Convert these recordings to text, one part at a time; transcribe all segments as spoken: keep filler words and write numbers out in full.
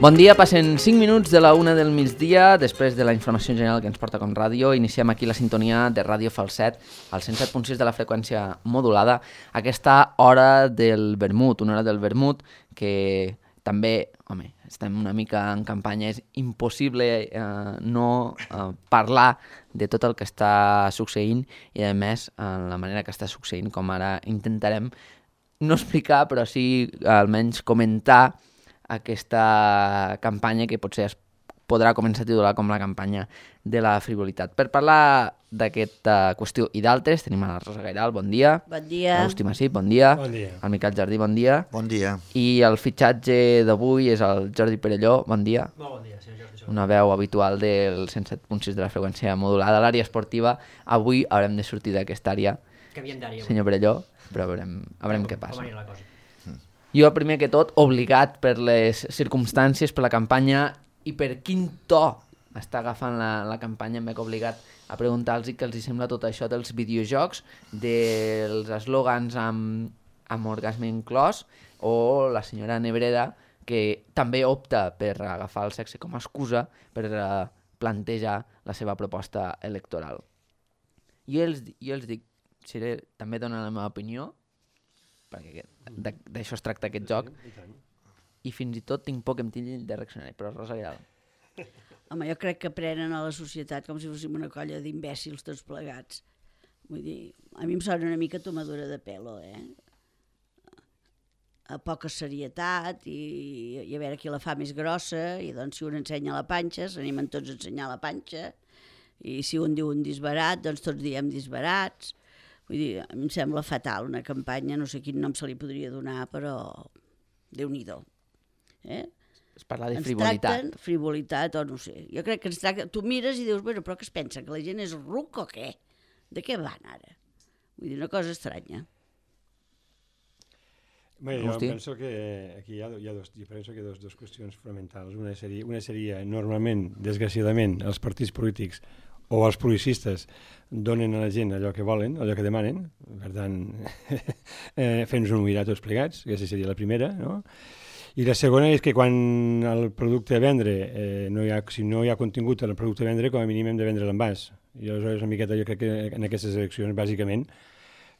Bon dia, passen cinc minuts de la una del migdia, després de la informació general que ens porta com ràdio. Iniciem aquí la sintonia de Ràdio Falset, al cent set punt sis de la freqüència modulada, aquesta hora del vermut, una hora del vermut que també, home, estem una mica en campanya, és impossible eh, no eh, parlar de tot el que està succeint i, a més, en la manera que està succeint, com ara intentarem no explicar, però sí almenys comentar aquesta campanya que potser es podrà començar a titular com la campanya de la frivolitat. Per parlar d'aquesta qüestió i d'altres, tenim a la Rosa Gairal, bon dia. Bon dia. L'Agustí Massip, bon dia. Bon dia. El Miquel Jardí, bon dia. Bon dia. I el fitxatge d'avui és el Jordi Perelló, bon dia. Molt bon dia, senyor Jordi. Una veu habitual del cent set punt sis de la freqüència modulada. A l'àrea esportiva, avui haurem de sortir d'aquesta àrea, Canviem d'àrea. senyor Perelló, però veurem, veurem què passa. Com anirà la cosa? Jo, primer que tot, obligat per les circumstàncies, per la campanya i per quin to està agafant la, la campanya, em veig obligat a preguntar-los què els sembla tot això dels videojocs, dels eslògans amb, amb orgasme inclòs, o la senyora Nebreda, que també opta per agafar el sexe com a excusa per uh, plantejar la seva proposta electoral. Jo els, jo els dic, seré, també donar la meva opinió, perquè d'això es tracta aquest joc, i fins i tot tinc por que em tindin de reaccionar, però Rosa Gairal. Home, jo crec que prenen a la societat com si fóssim una colla d'imbècils tots plegats. Vull dir, a mi em sona una mica tomadura de pelo, eh? A poca serietat i, i a veure qui la fa més grossa, i doncs si un ensenya la panxa, s'animen tots a ensenyar la panxa, i si un diu un disbarat, doncs tots diem disbarats. Vull dir, a mi em sembla fatal una campanya, no sé quin nom se li podria donar, però Déu-n'hi-do. Eh? Es parla de ens frivolitat. tracten, frivolitat o no sé. Jo crec que ens tracten, tu mires i dius, bueno, però què es pensa, que la gent és ruc o què? De què van ara? Vull dir, una cosa estranya. Bé, jo Agustí? penso que aquí hi ha, hi ha, dos, jo penso que hi ha dos, dos qüestions fonamentals. Una seria, una seria, normalment, desgraciadament, els partits polítics o els policistes donen a la gent allò que volen, allò que demanen, per tant, eh, fent-nos un mirar tots plegats, aquesta seria la primera, no? I la segona és que quan el producte a vendre, eh, no hi ha, si no hi ha contingut en el producte a vendre, com a mínim hem de vendre l'envàs. I aleshores, una miqueta, jo crec que en aquestes eleccions, bàsicament,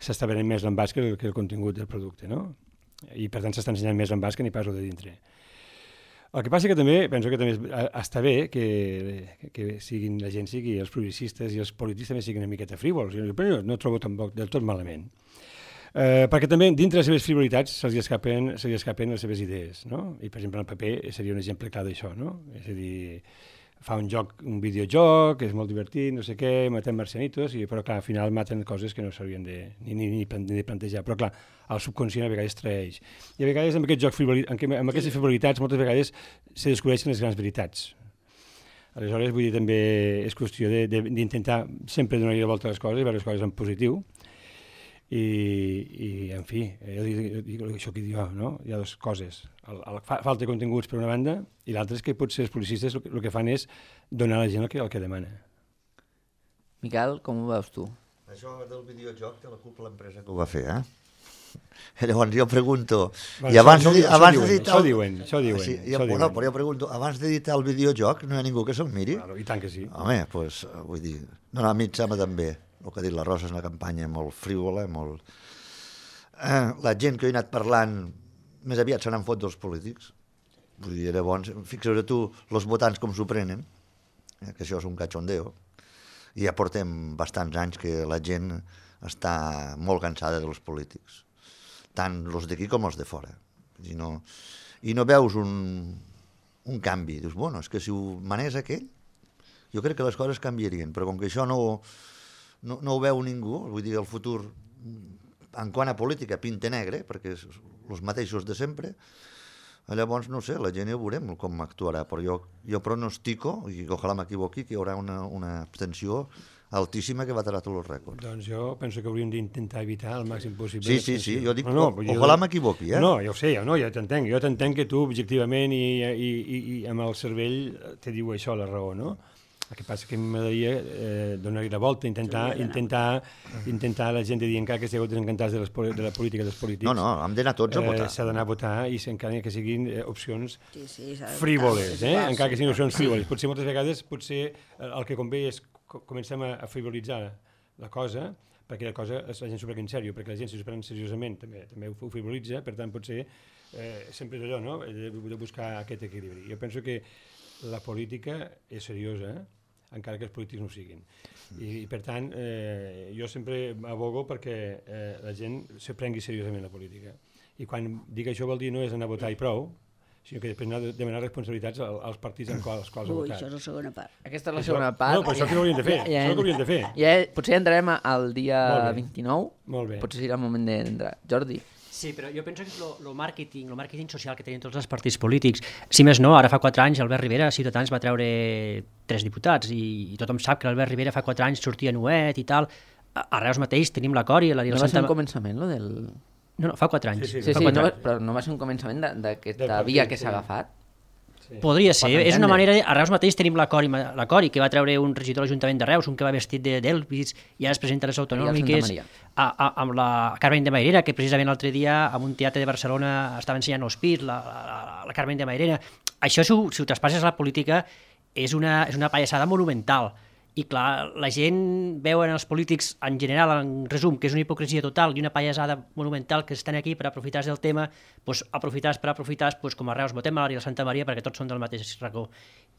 s'està venent més l'envàs que, el, que el contingut del producte, no? I per tant s'està ensenyant més l'envàs que n'hi pas el de dintre. El que passa que també, penso que també està bé que, que siguin, la gent sigui, els progressistes i els polítics també siguin una miqueta frívols, però no trobo tampoc del tot malament. Eh, perquè també dintre de les seves frivolitats se li escapen, se li escapen les seves idees, no? I per exemple el P P seria un exemple clar d'això, no? És a dir, fa un joc, un videojoc, és molt divertit, no sé què, matem marcianitos, i, però clar, al final maten coses que no s'haurien de, ni, ni, ni de plantejar, però clar, el subconscient a vegades traeix. I a vegades amb aquest joc frivolitat, amb, amb aquestes frivolitats moltes vegades se descobreixen les grans veritats. Aleshores, vull dir, també és qüestió d'intentar sempre donar-hi la volta a les coses i veure les coses en positiu. I, i en fi, jo dic, dic això que diu, no? Hi ha dues coses. El, el, falta de continguts per una banda i l'altra és que potser els policistes el, el que fan és donar a la gent el que, el que demana. Miquel, com ho veus tu? Això del videojoc té la culpa l'empresa que ho va fer, eh? Llavors jo pregunto... Bueno, i abans això, de, això, abans diuen, de això diuen, això diuen. Sí, això jo, diuen. no, però jo pregunto, abans d'editar el videojoc no hi ha ningú que se'l miri? Claro, i tant que sí. Home, doncs, pues, vull dir... No, no, a mi em sembla també. El que ha dit la Rosa és una campanya molt frívola, molt... Eh, la gent que he anat parlant més aviat se n'han fot dels polítics. Vull dir, llavors, fixa't tu, els votants com s'ho prenen, eh, que això és un cachondeo, i ja portem bastants anys que la gent està molt cansada dels polítics, tant els d'aquí com els de fora. I no, i no veus un, un canvi. Dius, bueno, és que si ho manés aquell, jo crec que les coses canviarien, però com que això no, no, no ho veu ningú, vull dir, el futur, en quant a política, pinta negre, perquè és els mateixos de sempre, llavors, no sé, la gent ja veurem com actuarà, però jo, jo pronostico, i ojalà m'equivoqui, que hi haurà una, una abstenció altíssima que batrà tots els rècords. Doncs jo penso que hauríem d'intentar evitar el màxim possible. Sí, sí, sí, jo dic, no, no, o, jo... ojalà m'equivoqui, eh? No, jo ho sé, jo, no, jo t'entenc, jo t'entenc que tu objectivament i, i, i, i amb el cervell te diu això, la raó, no? El que passa que m'agradaria eh, donar-hi la volta, intentar, intentar, intentar la gent de dir encara que estigueu desencantats de, les, de la política dels polítics. No, no, hem d'anar tots a votar. Eh, S'ha d'anar a votar i encara que siguin eh, opcions sí, sí, frívoles, eh? clar, encara que siguin opcions sí. frívoles. Potser moltes vegades potser el que convé és comencem a, a frivolitzar la cosa, perquè la cosa la gent s'ho pren en sèrio, perquè la gent si s'ho pren seriosament també, també ho frivolitza, per tant potser eh, sempre és allò, no? de, de buscar aquest equilibri. Jo penso que la política és seriosa, eh? encara que els polítics no ho siguin. I, i per tant, eh, jo sempre abogo perquè eh, la gent se prengui seriosament la política. I quan dic això vol dir no és anar a votar i prou, sinó que després anar a demanar responsabilitats als partits en quals, als quals ha Ui, votat. això és la segona part. Aquesta és la Això- segona part. No, però això que hauríem de fer, Ja, ja, això que hauríem de fer. Ja, potser entrarem al dia Molt bé. vint-i-nou. Molt bé. Potser serà el moment d'entrar. Jordi. Sí, però jo penso que el màrqueting, el màrqueting social que tenen tots els partits polítics, si més no, ara fa quatre anys Albert Rivera, Ciutadans va treure tres diputats i, i tothom sap que l'Albert Rivera fa quatre anys sortia nuet i tal. A, a Reus mateix tenim l'acord i l'Ariel No va ser Santa... un començament, lo del... No, no, fa quatre anys. Sí, Sí, fa sí, quatre no, anys. però no va ser un començament de- d'aquesta Del partit, via que sí. s'ha agafat. Sí. Podria ser, Pot és una entendre. manera... De... A Reus mateix tenim l'acord i, l'acord i que va treure un regidor de l'Ajuntament de Reus, un que va vestit de d'Elvis i ara es presenta a les autonòmiques, Santamaria. a, a, amb la Carmen de Mairena, que precisament l'altre dia en un teatre de Barcelona estava ensenyant els pits, la, la, la Carmen de Mairena. Això, si ho, si ho traspasses a la política, és una, és una pallassada monumental. I clar, la gent veu en els polítics en general, en resum, que és una hipocresia total i una pallassada monumental que estan aquí per aprofitar-se del tema, doncs aprofitar-se per aprofitar-se, doncs com a Reus votem a l'Ariel Santa Maria perquè tots són del mateix racó.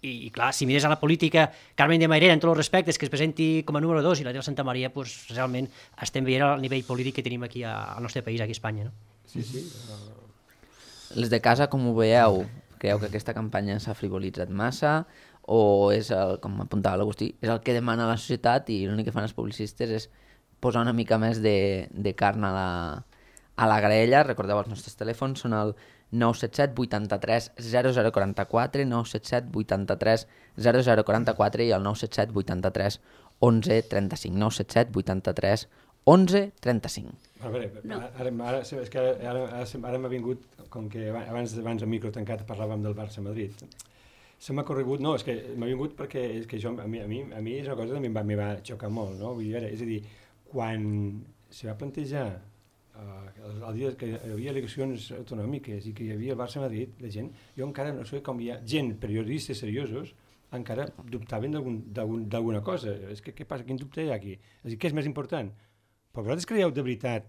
I, i clar, si mires a la política, Carmen de Mairena, en tots els respectes, que es presenti com a número dos i l'Ariel Santa Maria, doncs realment estem veient el nivell polític que tenim aquí a, al nostre país, aquí a Espanya. No? Sí, sí. Les de casa, com ho veieu? Creieu que aquesta campanya s'ha frivolitzat massa? O és, el, com apuntava l'Agustí, és el que demana la societat i l'únic que fan els publicistes és posar una mica més de, de carn a la, a la graella? Recordeu, els nostres telèfons són el nou set set vuitanta-tres zero zero quaranta-quatre, nou set set vuitanta-tres zero zero quaranta-quatre i el nou set set vuitanta-tres onze trenta-cinc, nou set set vuitanta-tres onze trenta-cinc. A veure, No. ara, ara, és que ara, ara, ara, ara m'ha vingut, com que abans, abans al micro tancat parlàvem del Barça-Madrid, se m'ha corregut, no, és que m'ha vingut perquè és que això, a mi, a mi, a mi és una cosa que també em va, em va xocar molt, no? Vull dir, és a dir, quan se va plantejar uh, el, el dia que hi havia eleccions autonòmiques i que hi havia el Barça-Madrid, la gent, jo encara no sé com hi ha gent, periodistes seriosos, encara dubtaven d'alguna cosa. És que què passa? Quin dubte hi ha aquí? És a dir, què és més important? Però vosaltres creieu de veritat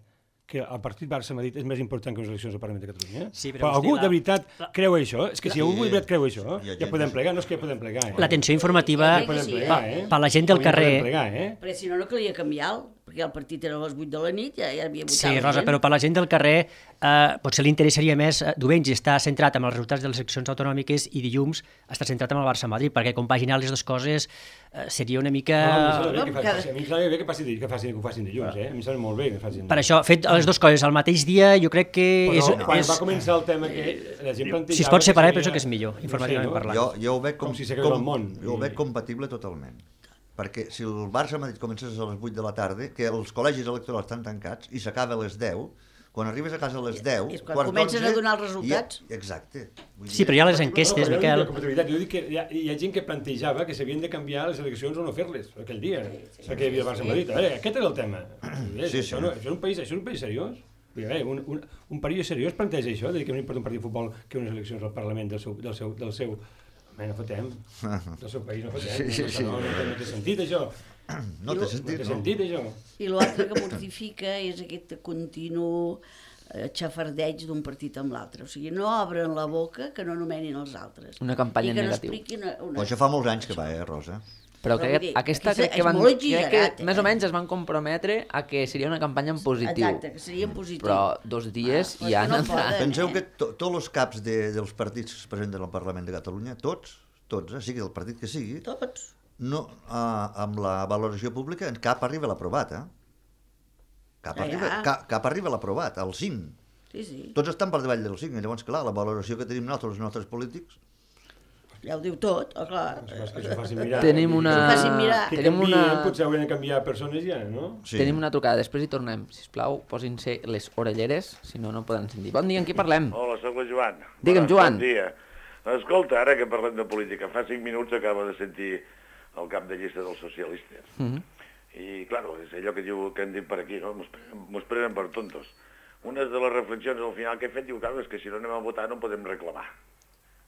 que el partit Barça-Madrid és més important que les eleccions al Parlament de Catalunya? Sí, però, però algú hosti, la- de veritat la- creu això? És que si algú de veritat creu això, Hi ha ja gent podem que- plegar. No és que ja podem plegar, eh? L'atenció informativa Sí, Podem sí, plegar, per, eh? per la gent del Avui ja carrer... podem plegar, eh? Perquè si no, no calia canviar-lo, perquè el partit era a les vuit de la nit, ja, ja havia votat Sí, la Rosa, gent. però per la gent del carrer eh, potser li interessaria més eh, diumenge estar centrat en els resultats de les eleccions autonòmiques i dilluns estar centrat en el Barça-Madrid, perquè compaginar les dues coses eh, seria una mica... No, a mi em sembla bé no, que cada- faci- a mi em sembla bé que, passi, que, facin, que ho facin dilluns, eh? A mi em sembla molt bé que facin. Per això, fet les dues coses al mateix dia, jo crec que Però és... quan és... va començar el tema que la gent plantejava... Si es pot separar, seria- penso que és millor, informativament parlant. Jo, jo ho veig com, Com si s'acabés el món. Jo ho veig compatible totalment. Perquè si el Barça-Madrid comences a les vuit de la tarda, que els col·legis electorals estan tancats i s'acaba a les deu, quan arribes a casa a les deu... És quan quart comencen d'onze, a donar els resultats. i- Exacte. Vull Sí, però hi ha les enquestes, No, però Miquel. jo no dic compatibilitat, jo dic que hi ha, hi ha gent que plantejava que s'havien de canviar les eleccions o no fer-les aquell dia, perquè hi havia el Barça-Madrid. A veure, aquest era el tema. Sí, Sí, això, sí. no, això, és un país, això és un país seriós. Vull dir, a veure, un, un, un país seriós planteja això, de dir que no importa un partit de futbol que unes eleccions al Parlament del seu... Del seu, del seu Home, no fotem. Del seu país no fotem. Sí, sí, sí. No, no, no, no té sentit, això. No té No sentit, té no? sentit, això. I l'altre que mortifica és aquest continu eh, xafardeig d'un partit amb l'altre. O sigui, no obren la boca que no anomenin els altres. Una campanya I que en no negatiu. expliquin una... Però això fa molts anys que va, eh, Rosa? Però Però crec vull que dir, aquesta aquesta crec que és van, molt crec que exagerat, més o eh? menys es van comprometre a que seria una campanya en positiu. Exacte, que seria en positiu. Però dos dies Ah, però ja és que no han entrat. poden. Penseu eh? que to, tots els caps de, dels partits que es presenten al Parlament de Catalunya, tots, tots, eh, sigui del partit que sigui, Tots. no, eh, amb la valoració pública, cap arriba a l'aprovat, eh? Cap, Ja, arriba, ja. cap, cap arriba a l'aprovat, al cinc. Sí, sí. Tots estan per davall del cinc, i llavors, clar, la valoració que tenim nosaltres, els nostres polítics, Ja ho diu tot, oh, clar. És que s'ho facin mirar. Tenim Vull dir, una... Que s'ho facin mirar. Que Tenim canvien, una... potser haurien de canviar persones ja, no? sí. Tenim una trucada, després hi tornem. Sisplau, posin-se les orelleres, si no, no poden sentir. Bon dia, amb qui parlem? Hola, sóc el Joan. Digue'm, Bona- Joan. Bon dia. Escolta, ara que parlem de política, fa cinc minuts acabo de sentir el cap de llista dels socialistes. Mhm. I, claro, és allò que, diu, que hem dit per aquí, no? Mos prenen, mos prenen per tontos. Una de les reflexions al final que he fet diu, claro, és que si no anem a votar no podem reclamar.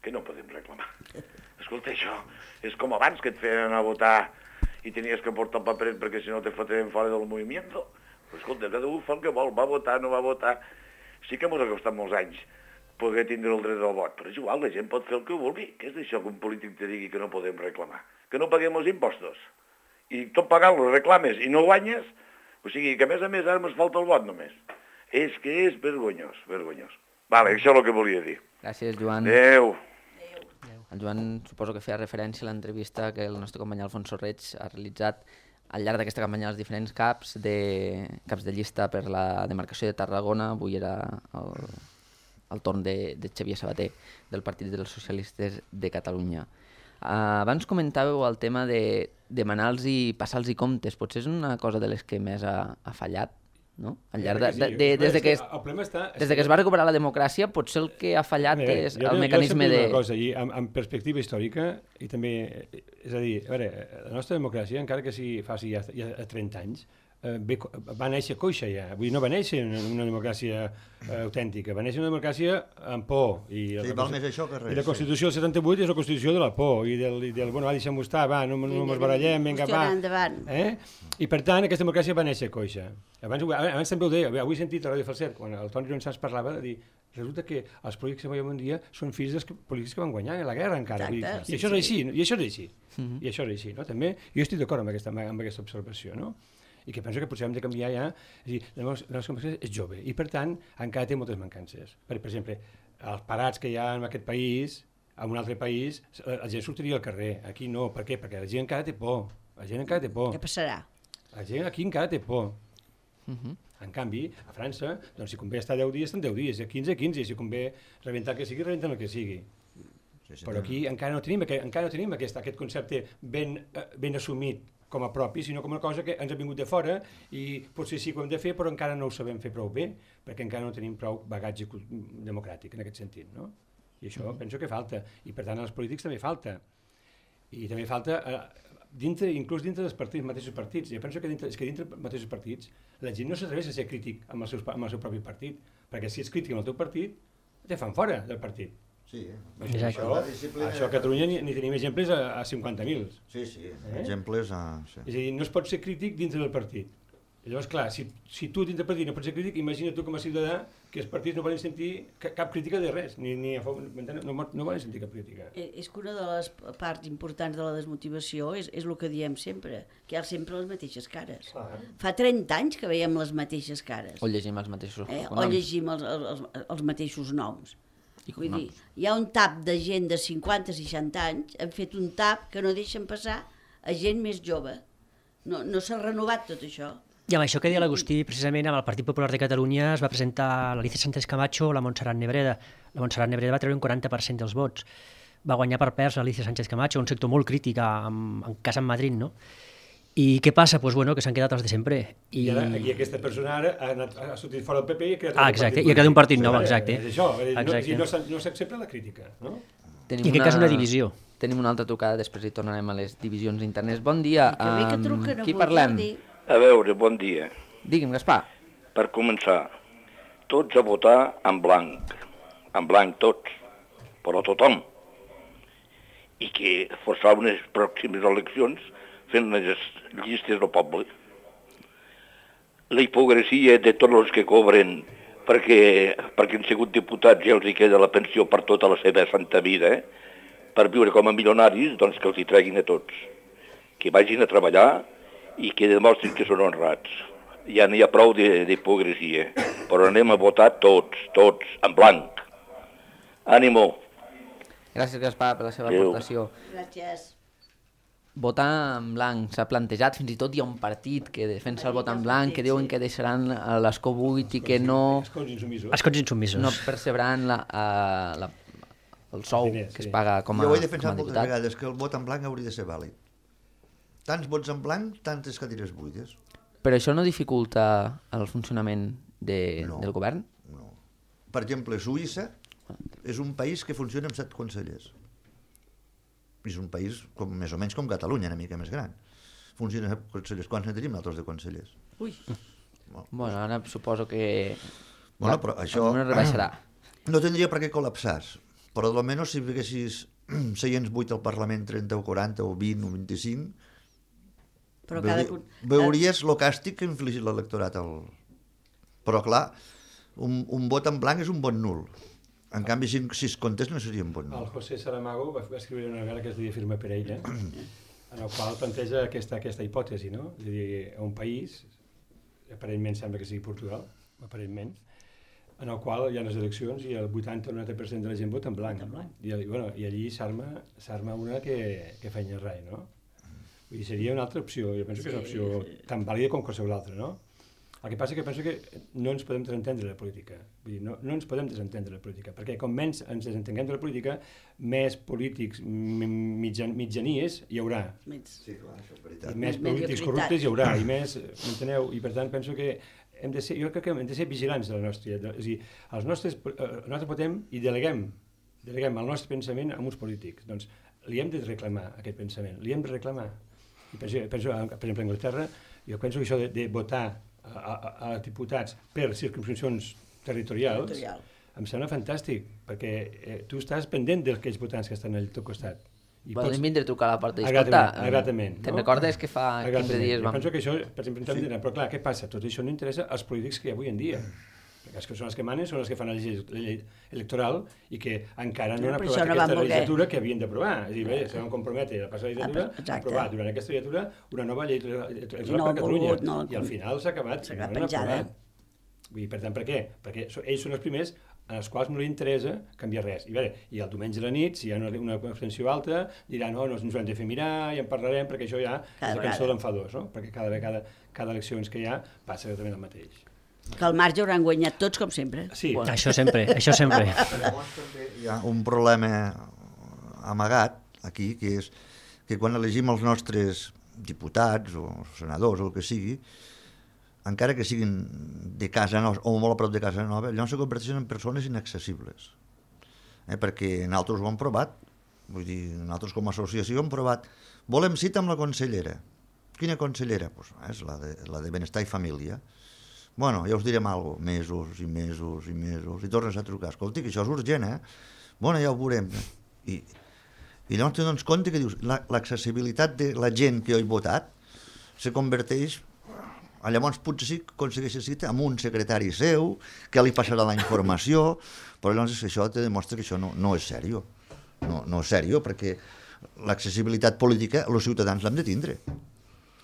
Que no podem reclamar? Escolta, això és com abans que et feien anar a votar i tenies que portar el paperet perquè si no te foten fora del moviment. Però, escolta, cada un fa el que vol, va votar, no va votar. Sí que mos ha costat molts anys poder tindre el dret al vot, però és igual, la gent pot fer el que vulgui. Què és això que un polític te digui que no podem reclamar? Que no paguem els impostos? I tot pagant-los reclames i no guanyes? O sigui, que a més a més ara ens falta el vot només. És que és vergonyós, vergonyós. Vale, això és el que volia dir. Gràcies, Joan. Adéu. El Joan suposo que feia referència a l'entrevista que el nostre company Alfonso Reig ha realitzat al llarg d'aquesta campanya als diferents caps de, caps de llista per la demarcació de Tarragona. Avui era el, el torn de, de Xavier Sabater, del Partit dels Socialistes de Catalunya. Uh, abans comentàveu el tema de demanar-los i passar-los comptes. Potser és una cosa de les que més ha, ha fallat, no? Al llarg de, de, de, des, de que es, des de que es va recuperar la democràcia, potser el que ha fallat veure, és el mecanisme de... Jo una cosa, i amb, amb perspectiva històrica, i també, és a dir, a veure, la nostra democràcia, encara que sigui faci ja, ja trenta anys, eh, va néixer coixa ja, vull dir, no va néixer una, una democràcia eh, autèntica, va néixer una democràcia amb por. I sí, val més això que res. I la Constitució del setanta-vuit és la Constitució de la por, i del, i del bueno, va, deixem-ho estar, va, no, no ens barallem, vinga, va. Eh? I per tant, aquesta democràcia va néixer coixa. Abans, abans també ho deia, avui he sentit a Ràdio Falset, quan el Toni Ronsans parlava de dir resulta que els polítics que veiem un dia són fills dels polítics que van guanyar la guerra encara. Exacte, I, sí, i això és així, i això és així, uh-huh. i això és així, no? També, jo estic d'acord amb aquesta, amb aquesta observació, no? I que penso que potser hem de canviar ja, és a dir, la nostra democràcia és jove, i per tant encara té moltes mancances. Per, per exemple, els parats que hi ha en aquest país, en un altre país, la gent sortiria al carrer, aquí no, per què? Perquè la gent encara té por, la gent encara té por. Què passarà? La gent aquí encara té por. Uh-huh. En canvi, a França, doncs, si convé estar deu dies, estan deu dies, quinze, quinze, si convé rebentar el que sigui, rebenten el que sigui. Sí, sí, però aquí encara no tenim, encara no tenim aquest, aquest concepte ben, ben assumit com a propi, sinó com una cosa que ens ha vingut de fora i potser sí que ho hem de fer, però encara no ho sabem fer prou bé, perquè encara no tenim prou bagatge democràtic en aquest sentit, no? I això mm-hmm. penso que falta, i per tant als polítics també falta. I també falta... Eh, dintre, inclús dintre dels partits, mateixos partits. Jo penso que dintre, és que dintre dels mateixos partits la gent no s'atreveix a ser crític amb el, seu, amb el seu propi partit, perquè si ets crític amb el teu partit, te fan fora del partit. Sí, això, això, això a Catalunya ni, ni tenim exemples a, a cinquanta mil. Sí, sí, eh? exemples a... Sí. És a dir, no es pot ser crític dintre del partit. Llavors, clar, si, si tu dintre del partit no pots ser crític, imagina tu com a ciutadà que els partits no volen sentir cap crítica de res, ni, ni a favor, no, no volen sentir cap crítica. És que una de les parts importants de la desmotivació és, és el que diem sempre, que hi ha sempre les mateixes cares. Ah. Fa trenta anys que veiem les mateixes cares. O llegim els mateixos eh, noms. O llegim els, els, els mateixos noms. I Vull dir, hi ha un tap de gent de cinquanta a seixanta anys, han fet un tap que no deixen passar a gent més jove. No, no s'ha renovat tot això. I amb això que deia l'Agustí, precisament amb el Partit Popular de Catalunya es va presentar l'Alicia Sánchez Camacho o la Montserrat Nebreda. La Montserrat Nebreda va treure un quaranta per cent dels vots. Va guanyar per perds l'Alicia Sánchez Camacho, un sector molt crític, en, en cas en Madrid, no? I què passa? Pues bueno, que s'han quedat els de sempre. I, I, ara, i aquesta persona ara ha, anat, ha sortit fora del P P i ha creat ah, exacte, i ha creat un partit nou, exacte. És això, exacte. No, no s'accepta la crítica, no? Tenim I en aquest cas una divisió. Tenim una altra trucada, després hi tornarem a les divisions internes. Bon dia, I que bé que truquen, qui parlem? Jordi. A veure, bon dia. Digui'm, Gaspar. Per començar, tots a votar en blanc. En blanc tots, però tothom. I que forçar unes pròximes eleccions fent les llistes del poble. La hipocresia de tots els que cobren perquè, perquè han sigut diputats i els hi queda la pensió per tota la seva santa vida, eh? Per viure com a milionaris, doncs que els hi treguin a tots. Que vagin a treballar i que demostrin que són honrats. Ja n'hi ha prou d'hipocresia, però anem a votar tots, tots, en blanc. Ànimo. Gràcies, Gaspar, per la seva Adéu. aportació. Gràcies. Votar en blanc s'ha plantejat, fins i tot hi ha un partit que defensa el vot en blanc, que diuen que deixaran l'escó buit i que no, Escons insumisos. Escons insumisos. no percebran la, uh, la, el sou Diners, que es sí. paga com a, Jo ho he com defensat a moltes diputat. vegades, que el vot en blanc hauria de ser vàlid. Tants vots en blanc, tantes cadires buides. Però això no dificulta el funcionament de, No. del govern? No. Per exemple, Suïssa és un país que funciona amb set consellers. és un país com, més o menys com Catalunya, una mica més gran. Funciona consellers. Quants ne tenim nosaltres de consellers? Ui. Bueno, ara suposo que... Bueno, però això... No rebaixarà. No tindria per què col·lapsar, però almenys si haguessis seients vuit al Parlament, trenta o quaranta o vint o vint-i-cinc, Però cada... veuries el càstig que ha infligit l'electorat. Al... Però clar, un, un vot en blanc és un vot nul. En canvi, si, si es comptés no seria un vot nul. El José Saramago va, va escriure una novel·la que es deia Firma per ella, en el qual planteja aquesta, aquesta hipòtesi, no? És a dir, un país, aparentment sembla que sigui Portugal, aparentment, en el qual hi ha les eleccions i el vuitanta o noranta per cent de la gent vota en blanc. En blanc. I, bueno, i allí s'arma una que, que feina res, no? Vull dir, seria una altra opció, jo penso que és una opció tan vàlida com qualsevol altra, no? El que passa és que penso que no ens podem desentendre de la política, vull dir, no, no ens podem desentendre de la política, perquè com menys ens desentenguem de la política, més polítics mitjan, mitjanies hi haurà. Sí, clar, això és veritat. I més polítics corruptes hi haurà, i més, m'enteneu? I per tant penso que hem de ser, jo crec que hem de ser vigilants de la nostra, de, és a dir, els nostres, nosaltres podem i deleguem, deleguem el nostre pensament a uns polítics, doncs li hem de reclamar aquest pensament, li hem de reclamar. I penso, penso, per exemple, a Anglaterra, jo penso que això de, de votar a, a, a diputats per circumscripcions territorials Territorial. Em sembla fantàstic, perquè eh, tu estàs pendent d'aquells votants que estan al teu costat. I Poden pots... vindre a trucar a la porta i escolta, agradament, te'n no? recordes que fa quinze dies vam... Jo penso que això, per exemple, sí. Dir, però clar, què passa? Tot això no interessa als polítics que hi ha avui en dia. Perquè els que són els que manen són els que fan la llei electoral i que encara no, no han aprovat no aquesta legislatura que havien d'aprovar. És a dir, bé, se van comprometre a passar la legislatura a aprovar durant aquesta legislatura una nova llei electoral no per Catalunya. Volgut, no, I al final s'ha acabat. S'ha acabat penjada. Vull dir, per tant, per què? Perquè ells són els primers en els quals no li interessa canviar res. I, bé, i el diumenge a la nit, si hi ha una, una abstenció alta, diran, no, no ens ho hem de fer mirar, i en parlarem, perquè això ja cada és la cançó d'enfadós, no? Perquè cada vegada, cada eleccions que hi ha, passa exactament el mateix. Que al marge hauran guanyat tots, com sempre. Sí. Bueno. Això sempre, això sempre. Llavors també hi ha un problema amagat aquí, que és que quan elegim els nostres diputats o senadors o el que sigui, encara que siguin de casa nova o molt a prop de casa nova, llavors se converteixen en persones inaccessibles. Eh, perquè nosaltres ho hem provat, vull dir, nosaltres com a associació hem provat, volem cita amb la consellera. Quina consellera? Pues, és la de, la de Benestar i Família. Bueno, ja us direm alguna cosa, mesos i mesos i mesos, i tornes a trucar, escolti, que això és urgent, eh? Bueno, ja ho veurem. I, i llavors te dones compte que dius, l'accessibilitat de la gent que ho ha votat se converteix, llavors potser sí que aconsegueix cita amb un secretari seu, que li passarà la informació, però llavors això te demostra que això no, no és sèrio. No, no és sèrio, perquè l'accessibilitat política els ciutadans l'hem de tindre.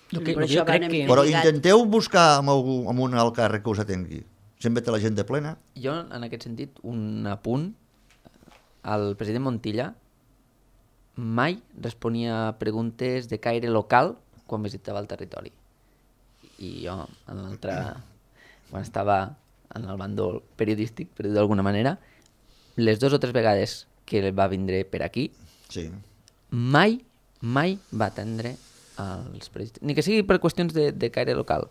No, que, però, jo crec que... però intenteu buscar amb, algú, amb un alt càrrec que us atengui. Sempre té la gent de plena. Jo, en aquest sentit, un apunt. El president Montilla mai responia a preguntes de caire local quan visitava el territori. I jo, en l'altre, quan estava en el bàndol periodístic, per dir d'alguna manera, les dues o tres vegades que va vindre per aquí, sí. mai, mai va atendre als periodistes. Ni que sigui per qüestions de, de caire local.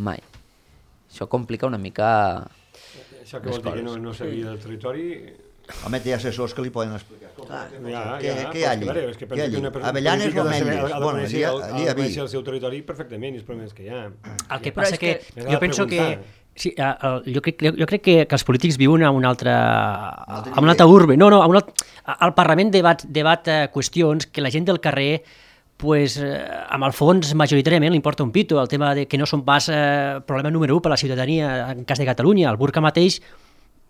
Mai. Això complica una mica... Això que vol dir que no, no sabia del territori... Home, té assessors que li poden explicar. Ah, ja, què, ja, què hi ha allí? És que penso que una persona Avellanes o Ametlles? Ha de Bueno, conèixer allí, el, allí el, el, el seu territori perfectament i els problemes que hi ha. El que Però passa és que, que... que jo penso que... Sí, uh, jo crec, jo crec que, que els polítics viuen a un altre, a un altre urbe. No, no, a un altre, al Parlament debat, debat uh, qüestions que la gent del carrer pues, eh, amb el fons majoritàriament li importa un pito, el tema de que no són pas eh, problema número u per a la ciutadania en cas de Catalunya. El burca mateix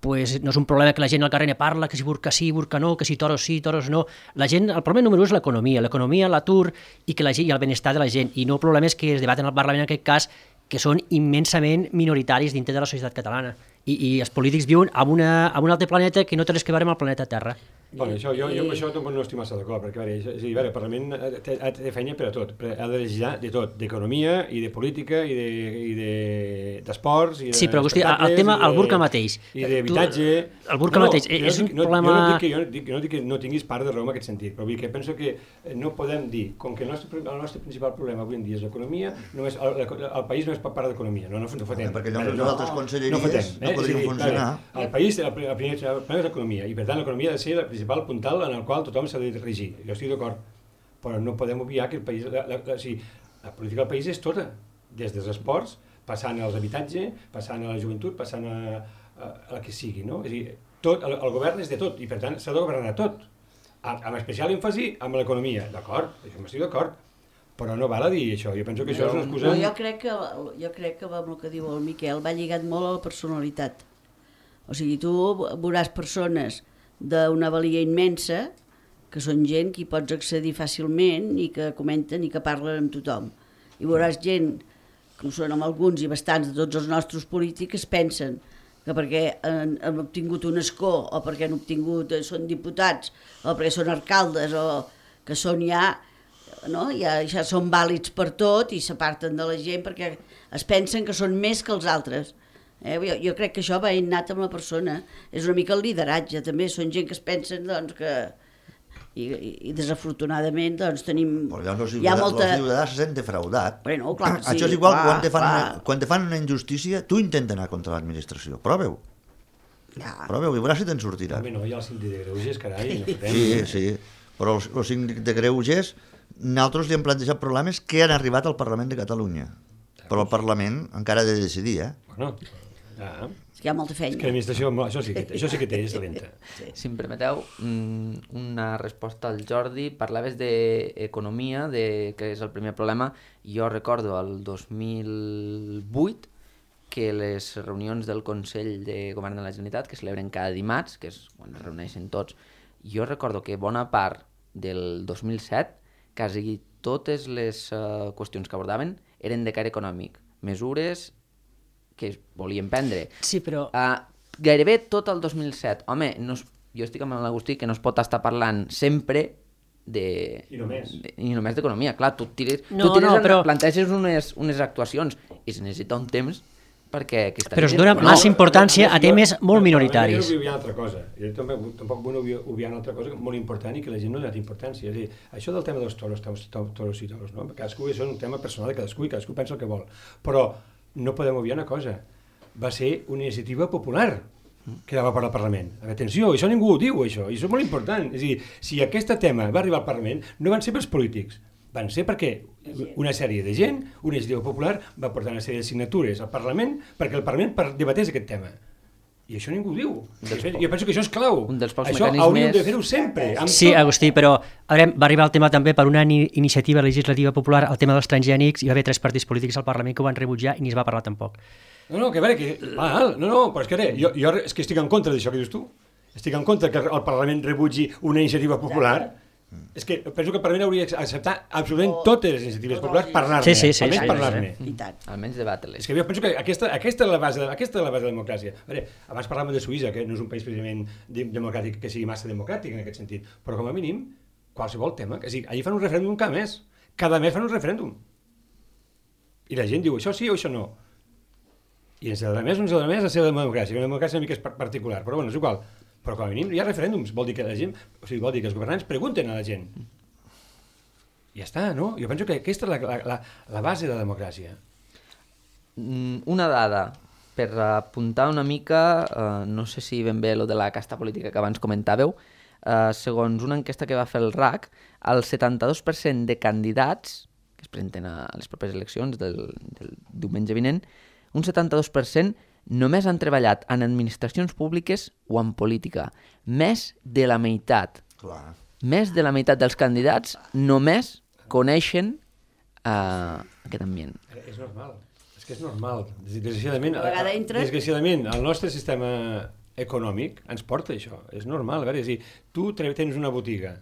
pues, no és un problema que la gent al carrer ne parla, que si burca sí, burca no, que si toros sí, toros no. La gent, el problema número u és l'economia, l'economia, l'atur i, que la gent, i el benestar de la gent, i no problemes que es debaten al Parlament en aquest cas que són immensament minoritaris dintre de la societat catalana. I, i els polítics viuen en, una, en un altre planeta que no té res que veure amb el planeta Terra. Bueno, això, jo, jo amb això no estic massa d'acord, perquè veure, és a dir, veure, el Parlament té, té feina per a tot, ha de legislar de tot, d'economia i de política i d'esports de, i de sí, però hosti, el tema, el burca mateix. I d'habitatge. El burca no, mateix, no, és un no, problema... Jo no dic, que, jo, dic, no dic que no tinguis part de raó en aquest sentit, però vull dir que penso que no podem dir, com que el nostre, el nostre principal problema avui en dia és l'economia, només el, el país no és part de l'economia, no, no, no fotem. Perquè llavors les altres conselleries no, fotem, no eh? podrien dir, funcionar. El país, el primer problema és l'economia, i per tant l'economia ha de ser la principal principal puntal en el qual tothom s'ha de regir. Jo estic d'acord, però no podem obviar que el país, la, la, la, o sigui, la política del país és tota, des dels esports, passant als habitatges, passant a la joventut, passant a, a, a la que sigui, no? És a dir, tot, el, el govern és de tot, i per tant s'ha de governar tot, amb especial èmfasi amb l'economia, d'acord, això m'estic d'acord, però no val a dir això, jo penso que això és una excusa... No, jo crec que, jo crec que amb el que diu el Miquel va lligat molt a la personalitat. O sigui, tu veuràs persones d'una valia immensa, que són gent que hi pots accedir fàcilment i que comenten i que parlen amb tothom. I veuràs gent, com són amb alguns i bastants de tots els nostres polítics, que es pensen que perquè han, han obtingut un escó o perquè han obtingut, són diputats o perquè són alcaldes o que són ja... No? Ja, ja són vàlids per tot i s'aparten de la gent perquè es pensen que són més que els altres. Eh? Jo, jo crec que això va innat amb la persona. És una mica el lideratge, també. Són gent que es pensen doncs, que... I, i, i desafortunadament doncs, tenim... Però els hi ha molta... ciutadans se sent defraudat. Bueno, clar, sí, això és igual clar, quan, te fan clar. una, quan te fan una injustícia, tu intenta anar contra l'administració. Proveu. Ja. Proveu i veuràs si te'n sortirà. Home, no, hi ha el síndic de Greuges, carai. No fotem. Sí, sí. Però el, el síndic de Greuges, nosaltres li hem plantejat problemes que han arribat al Parlament de Catalunya. Però el Parlament encara ha de decidir, eh? Bueno, ja. És que hi ha molta És feina. que l'administració, això sí que, això sí que té, és lenta. Sí. Si em permeteu, una resposta al Jordi. Parlaves d'economia, de, que és el primer problema. Jo recordo el dos mil vuit que les reunions del Consell de Govern de la Generalitat, que celebren cada dimarts, que és quan es reuneixen tots, jo recordo que bona part del dos mil set, quasi totes les uh, qüestions que abordaven eren de caire econòmic, mesures que es volien prendre. Sí, però... Uh, gairebé tot el dos mil set. Home, no es, jo estic amb l'Agustí que no es pot estar parlant sempre de... I només. De, i només d'economia. Clar, tu tires, No, tu tires no, en- però- planteges unes, unes actuacions i es necessita un temps perquè aquesta Però es gent... dona no, massa importància a Jo- temes molt jo- minoritaris. Jo no vull obviar una altra cosa. Jo tampoc, tampoc vull obviar- obviar una altra cosa molt important i que la gent no ha donat importància. És a dir, això del tema dels toros, toros, toros i toros, no? Cadascú és un tema personal de cadascú i cadascú pensa el que vol. Però no podem obviar una cosa. Va ser una iniciativa popular que va per al Parlament. A veure, atenció, això ningú ho diu, això, i això és molt important. És a dir, si aquest tema va arribar al Parlament, no van ser pels polítics, van ser perquè una sèrie de gent, una iniciativa popular, va portar una sèrie de signatures al Parlament perquè el Parlament per- debatés aquest tema. I això ningú ho diu. Dels Jo penso que això és clau. un dels pocs això mecanismes- hauríem de fer-ho sempre. Amb Sí, tot. Agustí, però a veure, va arribar el tema també per una ni- iniciativa legislativa popular, el tema dels transgènics, i va haver tres partits polítics al Parlament que ho van rebutjar i ni es va parlar tampoc. No, no, que a veure, que... Val, no, no, però és que, ara, jo, jo és que estic en contra d'això que dius tu. Estic en contra que el Parlament rebutgi una iniciativa popular. És que penso que el Parlament hauria d'acceptar absolutament totes les iniciatives populars, parlar-ne, Sí, sí, sí, almenys sí, parlar-ne. I tant. Almenys debatre-les. És que jo penso que aquesta, aquesta, és la base, de- aquesta és la base de la democràcia. A veure, abans parlàvem de Suïssa, que no és un país precisament de- democràtic, que sigui massa democràtic en aquest sentit, però com a mínim, qualsevol tema, és a dir, allà fan un referèndum cada mes, cada mes fan un referèndum. I la gent diu, això sí o això no. I ens agrada més o ens agrada més la seva democràcia, una democràcia una mica és par- particular, però bueno, és igual. Però com a mínim hi ha referèndums, vol dir que la gent, o sigui, vol dir que els governants pregunten a la gent. I ja està, no? Jo penso que aquesta és la, la, la, la base de la democràcia. Mm, Una dada, per apuntar una mica, eh, no sé si ben bé lo de la casta política que abans comentàveu, eh, segons una enquesta que va fer el R A C, el setanta-dos per cent de candidats que es presenten a les properes eleccions del, del diumenge vinent, un setanta-dos per cent només han treballat en administracions públiques o en política. Més de la meitat. Clar. Més de la meitat dels candidats només coneixen eh, aquest ambient. Eh, És normal, és que és normal. Desgraciadament, A vegades entra- desgraciadament el nostre sistema econòmic ens porta això, és normal. A veure, és a dir, tu tre- tens una botiga,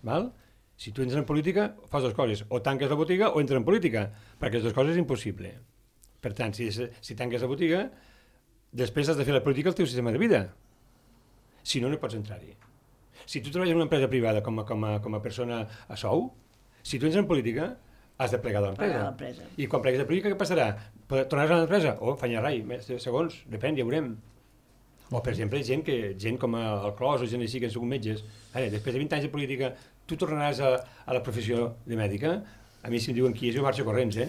val? Si tu entres en política, fas dues coses, o tanques la botiga o entres en política, perquè les dues coses és impossible. Per tant, si, si tanques la botiga, després has de fer la política al teu sistema de vida. Si no, no pots entrar-hi. Si tu treballes en una empresa privada com a, com a, com a persona a sou, si tu entres en política, has de plegar de Plegar l'empresa. de l'empresa. I quan plegues de política, què passarà? Pot- Tornaràs a l'empresa? O fanyar rai, més de segons, depèn, ja veurem. O, per exemple, gent, que, gent com el Clos o gent així que han sigut metges. Ara, després de vint anys de política, tu tornaràs a, a la professió de mèdica? A mi si em diuen qui és, jo marxo corrents, eh?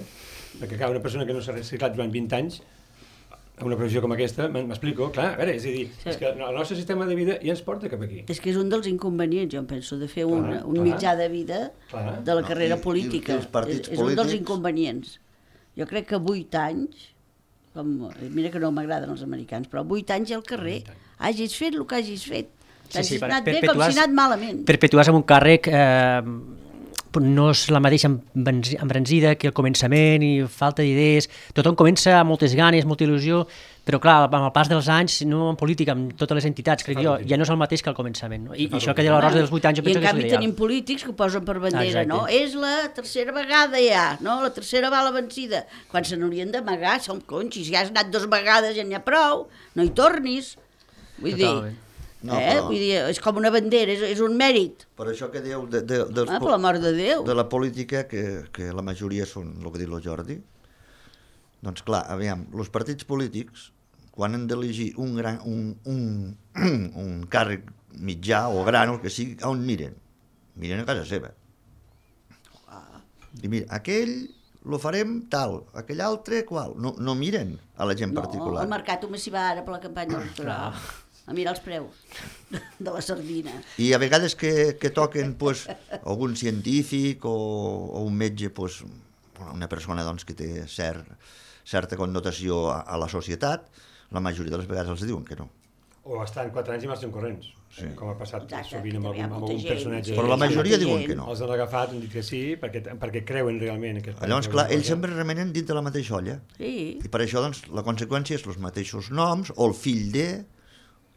Perquè clar, una persona que no s'ha reciclat durant vint anys, a una previsió com aquesta, m'explico, clar, a veure, és a dir, sí. és que el nostre sistema de vida ja ens porta cap aquí. És que és un dels inconvenients, jo em penso, de fer un, clar, un clar. mitjà de vida Clar. de la No, carrera i- i- política. i els partits és, és un dels polítics- inconvenients. Jo crec que vuit anys, com, mira que no m'agraden els americans, però vuit anys al carrer, hagis fet el que hagis fet. Sí, Hagis sí, per- anat bé com perpetuar- si anat malament. Perpetuar-se amb un càrrec eh, no és la mateixa embranzi- embranzida que el començament i falta d'idees. Tothom comença amb moltes ganes, molta il·lusió, però clar, amb el pas dels anys, no en política, amb totes les entitats, crec jo, ja no és el mateix que al començament. No? I, i això que deia la Rosa dels vuit anys, jo I penso en que és canvi l'ideal. tenim polítics que ho posen per bandera, Exacte. no? És la tercera vegada ja, no? La tercera bala vencida. Quan se n'haurien d'amagar, som conxis, ja has anat dues vegades, ja n'hi ha prou, no hi tornis. Vull Totalment. dir, No, eh? però- Vull dir, és com una bandera, és, és un mèrit. Per això que dieu de, de, dels Ah, po- per l'amor de Déu. de la política, que, que la majoria són el que diu el Jordi, doncs clar, aviam, els partits polítics, quan han d'elegir un, gran, un, un, un càrrec mitjà o gran, o el que sigui, on miren? Miren a casa seva. I mira, aquell lo farem tal, aquell altre qual. No, no miren a la gent No, particular. el mercat només s'hi va ara per la campanya electoral. A mirar els preus de la sardina. I a vegades que, que toquen pues, algun científic o, o un metge, pues, una persona doncs, que té cert, certa connotació a, a la societat, la majoria de les vegades els diuen que no. O estan quatre anys i marxen corrents, sí. com ha passat Exacte, sovint amb que hi ha algun, amb molta algun gent, personatge. sí. Però la majoria molta diuen gent. que no. Els han agafat, han dit que sí, perquè, perquè creuen realment. Que Llavors, clar, ells sempre remenen dins de la mateixa olla. Sí, I per això, doncs, la conseqüència és els mateixos noms, o el fill de...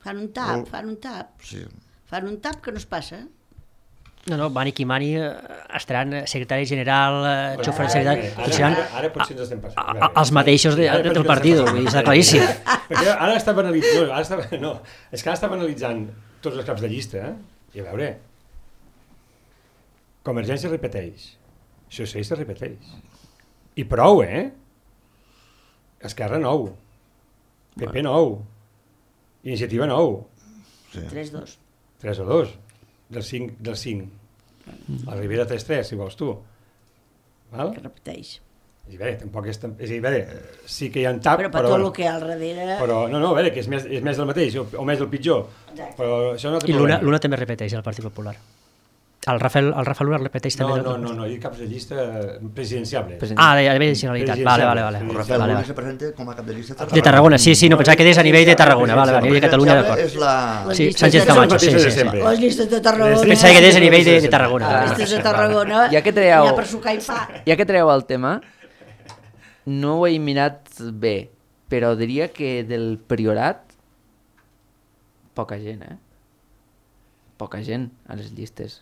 fan un tap, Molt- fan un tap. Sí. Fan un tap que no es passa. No, no, Mani Kimani eh, estaran secretari general, eh, xofer Ara, secretari, ara, tots seran ara, ara potser ens estem passant. a- a veure. els mateixos de, Ara de, potser del ens partit, estem vull dir, està passant. claríssim. Perquè ara està analitzant, no, ara està, no, és que ara està analitzant tots els caps de llista, eh? I a veure, Convergència repeteix, Socialista repeteix, i prou, eh? Esquerra nou, P P nou, Iniciativa nou, Sí. tres dos. tres o dos, del cinc, del cinc. La Ribera tres tres, si vols tu. Val? Que repeteix. I a veure, tampoc és... tan- És a dir, a veure, sí que hi ha un tap, Però per però... tot el que hi ha al darrere... Però, no, no, a veure, que és més, és més del mateix, o, o més del pitjor. Exacte. Però això no té I l'una problema. l'una també repeteix, el Partit Popular. El Rafael, el Rafael Luna repeteix No, també. no, no, no, hi ha caps de llista presidenciables. President. Ah, de, de nacionalitat, vale, vale, vale. Sí, El sí, Rafael vale, Luna vale. se presenta com a cap de llista De Tarragona, sí, sí, no, pensava que des a nivell de Tarragona, vale, vale, a nivell de Catalunya, d'acord. És la... Les Sí, llistes Sánchez de- Camacho, sí, Són sí, les sí. sempre. Les llistes de Tarragona... Pensava que des a nivell de, de Tarragona. Les llistes de Tarragona... Ja que traieu- Hi ha per sucar i pa. Ja que treu el tema, no ho he mirat bé, però diria que del Priorat, poca gent, eh? Poca gent a les llistes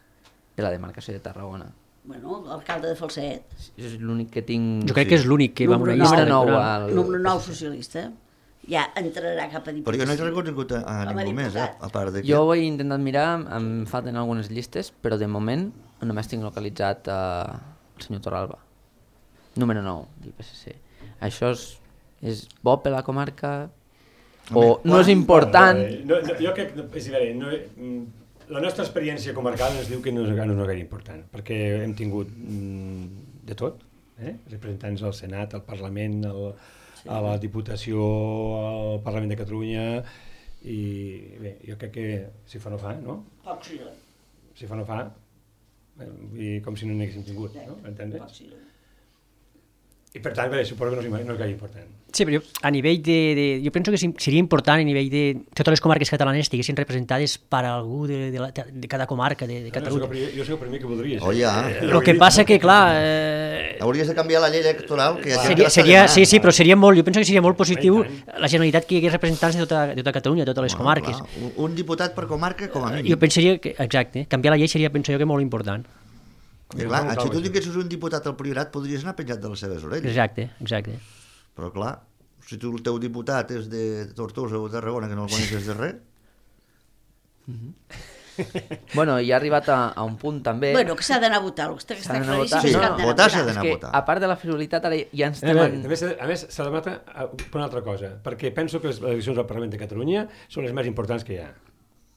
de la demarcació de Tarragona. Bueno, l'alcalde de Falset. Això és l'únic que tinc... Jo crec que és l'únic que va amb una Número llista nou electoral. al- Número nou socialista. Ja entrarà cap a Però diputació. jo no he reconegut a, a Com a ningú més, eh? diputat. A part de que... Jo ho he intentat mirar, em falten algunes llistes, però de moment només tinc localitzat uh, el senyor Torralba. Número nou del P S C. Això és, és bo per la comarca o Home, no és important? No, no, jo crec que, és a veure, no, mm, la nostra experiència comarcal ens diu que no és, no és gaire important, perquè hem tingut mm, de tot, eh? representants al Senat, al Parlament, al, sí. a la Diputació, al Parlament de Catalunya, i bé, jo crec que si fa no fa, no? Poc sí. Si fa no fa, eh, vull dir, com si no n'haguéssim tingut, no? Entendre? Poc sí. I per tant, bé, suposo que no és, no és gaire important. Sí, però jo, a nivell de, de... Jo penso que seria important a nivell de... Totes les comarques catalanes estiguessin representades per algú de, de, la, de cada comarca de, de Catalunya. Jo, jo sé el primer que voldria. Oh, ja. El que passa que, clar... Eh, Hauries de canviar la llei electoral, que hi ha gent que seria, l'està seria, demanant. sí, sí, però seria molt... Jo penso que seria molt positiu I tant. la Generalitat que hi hagués representants de tota, de tota Catalunya, de totes les Bueno, comarques. clar, un, un diputat per comarca, com a mínim. Jo pensaria que, exacte, canviar la llei seria, penso jo, que molt important. I clar, si tu tinguessis un diputat al Priorat, podries anar penjat de les seves orelles. Exacte, exacte. Però clar, si tu, el teu diputat és de Tortosa o de Tarragona, que no el coneixes de res... Bueno, i ha arribat a, a un punt també... Bueno, que s'ha d'anar a votar. El que està, S'ha està d'anar a votar. claríssim és Sí, que han d'anar a votar s'ha votar. d'anar és a que, votar. a part de la frivolitat, ara ja ens A, estem... veure, En... també, s'ha- a més, s'ha de matar per una altra cosa, perquè penso que les eleccions al Parlament de Catalunya són les més importants que hi ha.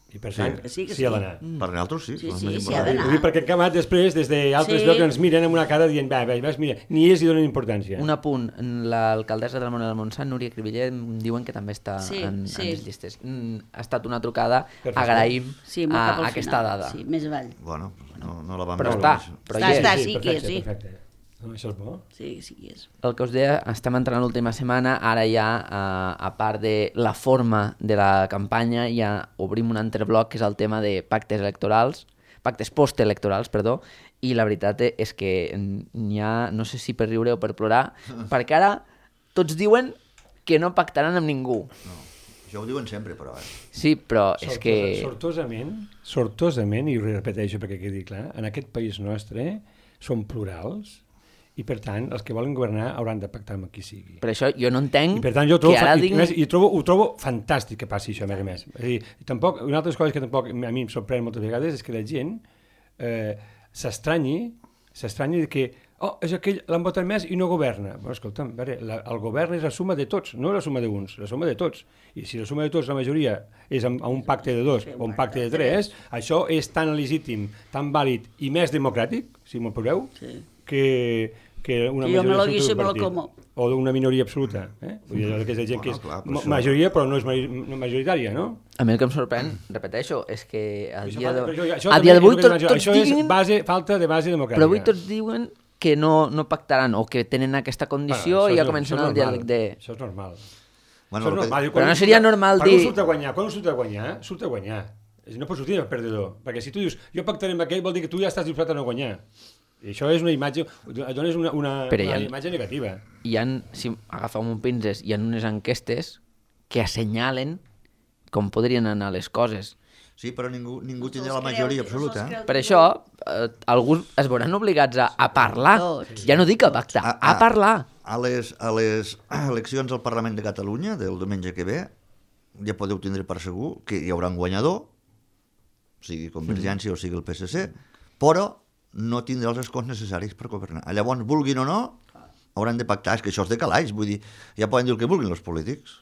I per tant, sí, sí, que sí ha sí. d'anar. Per nosaltres sí. Sí, és sí, més sí, ha important. d'anar. Ho dic perquè el camat després, des d'altres Sí. llocs, ens miren amb una cara dient, va, va, mira, ni ells hi donen importància. Un apunt, l'alcaldessa del Món del Montsant, Núria Cribiller, em diuen que també està Sí, en, sí. en les llistes. Mm, ha estat una trucada, Perfecte. agraïm Sí, molt a, cap al aquesta final. dada. Sí, més avall. Bueno, no, no la vam Però veure. està, això. però Està, hi és. està. sí que perfecte, sí. Perfecte. No, això és bo. Sí, sí que és. El que us deia, estem entrant l'última setmana, ara ja, a, a part de la forma de la campanya, ja obrim un altre bloc, que és el tema de pactes electorals, pactes postelectorals, perdó, i la veritat és que n'hi ha, no sé si per riure o per plorar, perquè ara tots diuen que no pactaran amb ningú. No. Això ho diuen sempre, però... Eh? Sí, però és Sortosa, que... Sortosament, sortosament, i ho repeteixo perquè quedi clar, en aquest país nostre som plurals, i per tant, els que volen governar hauran de pactar amb qui sigui. Per això jo no entenc I per tant, jo trobo, que ara i, diguin... i, i trobo, ho trobo fantàstic que passi això, a més a més. És a dir, tampoc, una altra cosa que tampoc a mi em sorprèn moltes vegades és que la gent eh, s'estranyi, s'estranyi de que oh, és aquell, l'han votat més i no governa. Bueno, escolta'm, veure, la, el govern és la suma de tots, no la suma d'uns, la suma de tots. I si la suma de tots, la majoria, és amb, amb un pacte de dos o un pacte de tres, això és tan legítim, tan vàlid i més democràtic, si m'ho poseu, Sí. que, que una Que jo me majoria lo absoluta guiso y d'un me lo partit. como. O d'una minoria absoluta. Eh? Vull dir, que és la gent que és Bueno, clar, per ma- això- majoria, però no és ma- no majoritària, no? A mi el que em sorprèn, repeteixo, és que a Això dia fa- d'avui però això- això a també dia és d'avui el que tot, demano. tots Això és diguin... base, falta de base democràtica. Però avui tots diuen que no, no pactaran o que tenen aquesta condició Bueno, i això ja és- comencen això és el diàleg normal. de... Això és normal. Bueno, Això és el que- normal. Diu, Però quan no un seria surt a- normal quan dir- un surt a guanyar, quan un surt a guanyar, surt a guanyar. És a dir, no pots sortir de perdedor. Perquè si tu dius, jo pactaré amb aquell, vol dir que tu ja estàs disposat a no guanyar. I això és una imatge, et dones una, una, Però una hi ha- imatge negativa. Hi ha, si agafeu un pinces, hi ha unes enquestes que assenyalen com podrien anar les coses. Sí, però ningú, ningú No tindrà se'ls la majoria creu, no absoluta. se'ls Eh? creu. Per això, eh, alguns es veuran obligats a, a parlar. Tots. Ja no dic a pactar, A- a a- parlar. A les, a les eleccions al Parlament de Catalunya del diumenge que ve ja podeu tindre per segur que hi haurà un guanyador, sigui Convergència mm. o sigui el P S C, però no tindrà els escons necessaris per governar. Llavors, vulguin o no, hauran de pactar. És que això és de calaix, vull dir, ja poden dir el que vulguin els polítics.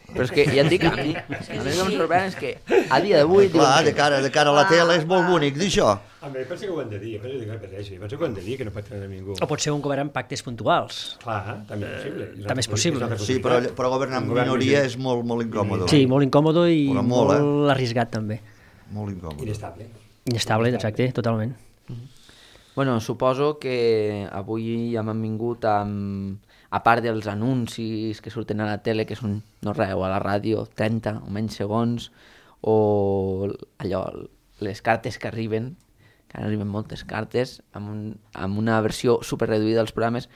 Però és que ja et dic, a mi, a mi el que em sorprèn és que a dia d'avui... Clar, diuen de cara, de cara a la tele és molt bonic dir això. A mi, penso que ho han de dir, penso que repeteixo, penso que ho han de dir, que no pactaran amb ningú. O pot ser un govern amb pactes puntuals. Clar, també és possible. Eh, també és possible. Sí, però, però governar amb Un govern minoria vigent. és molt, molt incòmode. Sí, molt incòmode i Hola, molt, molt, molt arriscat també. Molt incòmode. Inestable. Inestable, exacte, totalment. Bueno, suposo que avui ja m'han vingut amb, a part dels anuncis que surten a la tele, que són, no res, o a la ràdio, trenta o menys segons, o allò, les cartes que arriben, que ara arriben moltes cartes, amb, un, amb una versió super reduïda dels programes,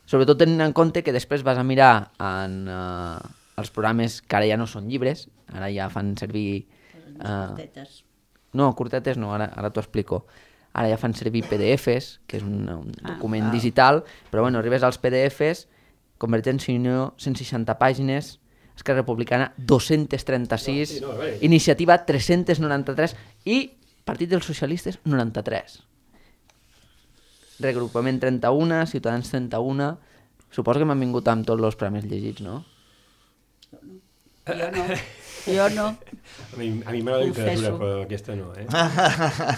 sobretot tenint en compte que després vas a mirar en uh, els programes que ara ja no són llibres, ara ja fan servir... Uh, Tetes. no, curtetes no, ara, ara t'ho explico. Ara ja fan servir P D Fs, que és un, un document ah, digital, però bueno, arribes als P D Fs, Convergència i Unió, cent seixanta pàgines, Esquerra Republicana, dos-cents trenta-sis, No, sí, no, a veure. Iniciativa, tres-cents noranta-tres, i Partit dels Socialistes, noranta-tres. Regrupament trenta-un, Ciutadans trenta-un... Suposo que m'han vingut amb tots els programes llegits, no? Jo no. Jo no. A mi, a mi m'agrada la literatura, Confesso. però aquesta no, eh?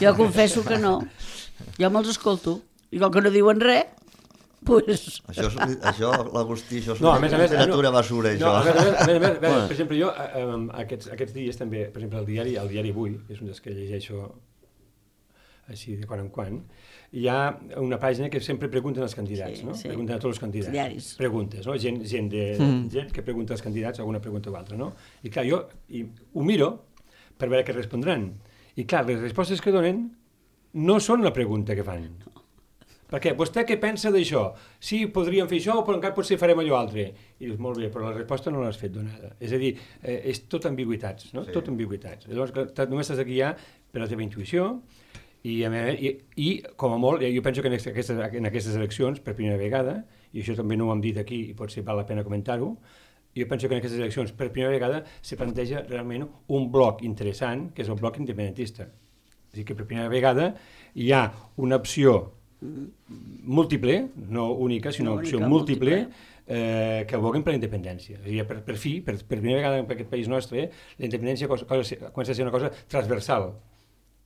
Jo confesso que no. Jo me'ls escolto. I com que no diuen res, pues... Això, és, això l'Agustí, això és No, a més a més... literatura no, basura, no, això. a més a més, a més, a més, a Bueno. veure, per exemple, jo eh, eh, aquests, aquests dies també, per exemple, el diari, el diari Avui, que és un dels que llegeixo així de quan en quan, hi ha una pàgina que sempre pregunten als candidats, Sí, no? sí. Pregunten a tots els candidats. Els diaris. Preguntes, no? Gent, gent, de, Mm. gent que pregunta als candidats alguna pregunta o altra, no? I clar, jo i, ho miro per veure què respondran. I clar, les respostes que donen no són la pregunta que fan. Perquè vostè què pensa d'això? Sí, podríem fer això, però encara potser farem allò altre. I dius, molt bé, però la resposta no l'has fet donada. És a dir, eh, és tot ambigüitats, no? Sí. Tot ambigüitats. Llavors, clar, només has de guiar per la teva intuïció i, a més, i, i com a molt, jo penso que en aquestes, en aquestes eleccions, per primera vegada, i això també no ho hem dit aquí i potser val la pena comentar-ho, jo penso que en aquestes eleccions, per primera vegada, se planteja realment un bloc interessant, que és el bloc independentista. És a dir, que per primera vegada hi ha una opció múltiple, no única, sinó No una opció única, múltiple, múltiple. eh, que aboguen per la independència. És a dir, per, per fi, per, per primera vegada en aquest país nostre, la independència cosa, cosa, comença a ser una cosa transversal,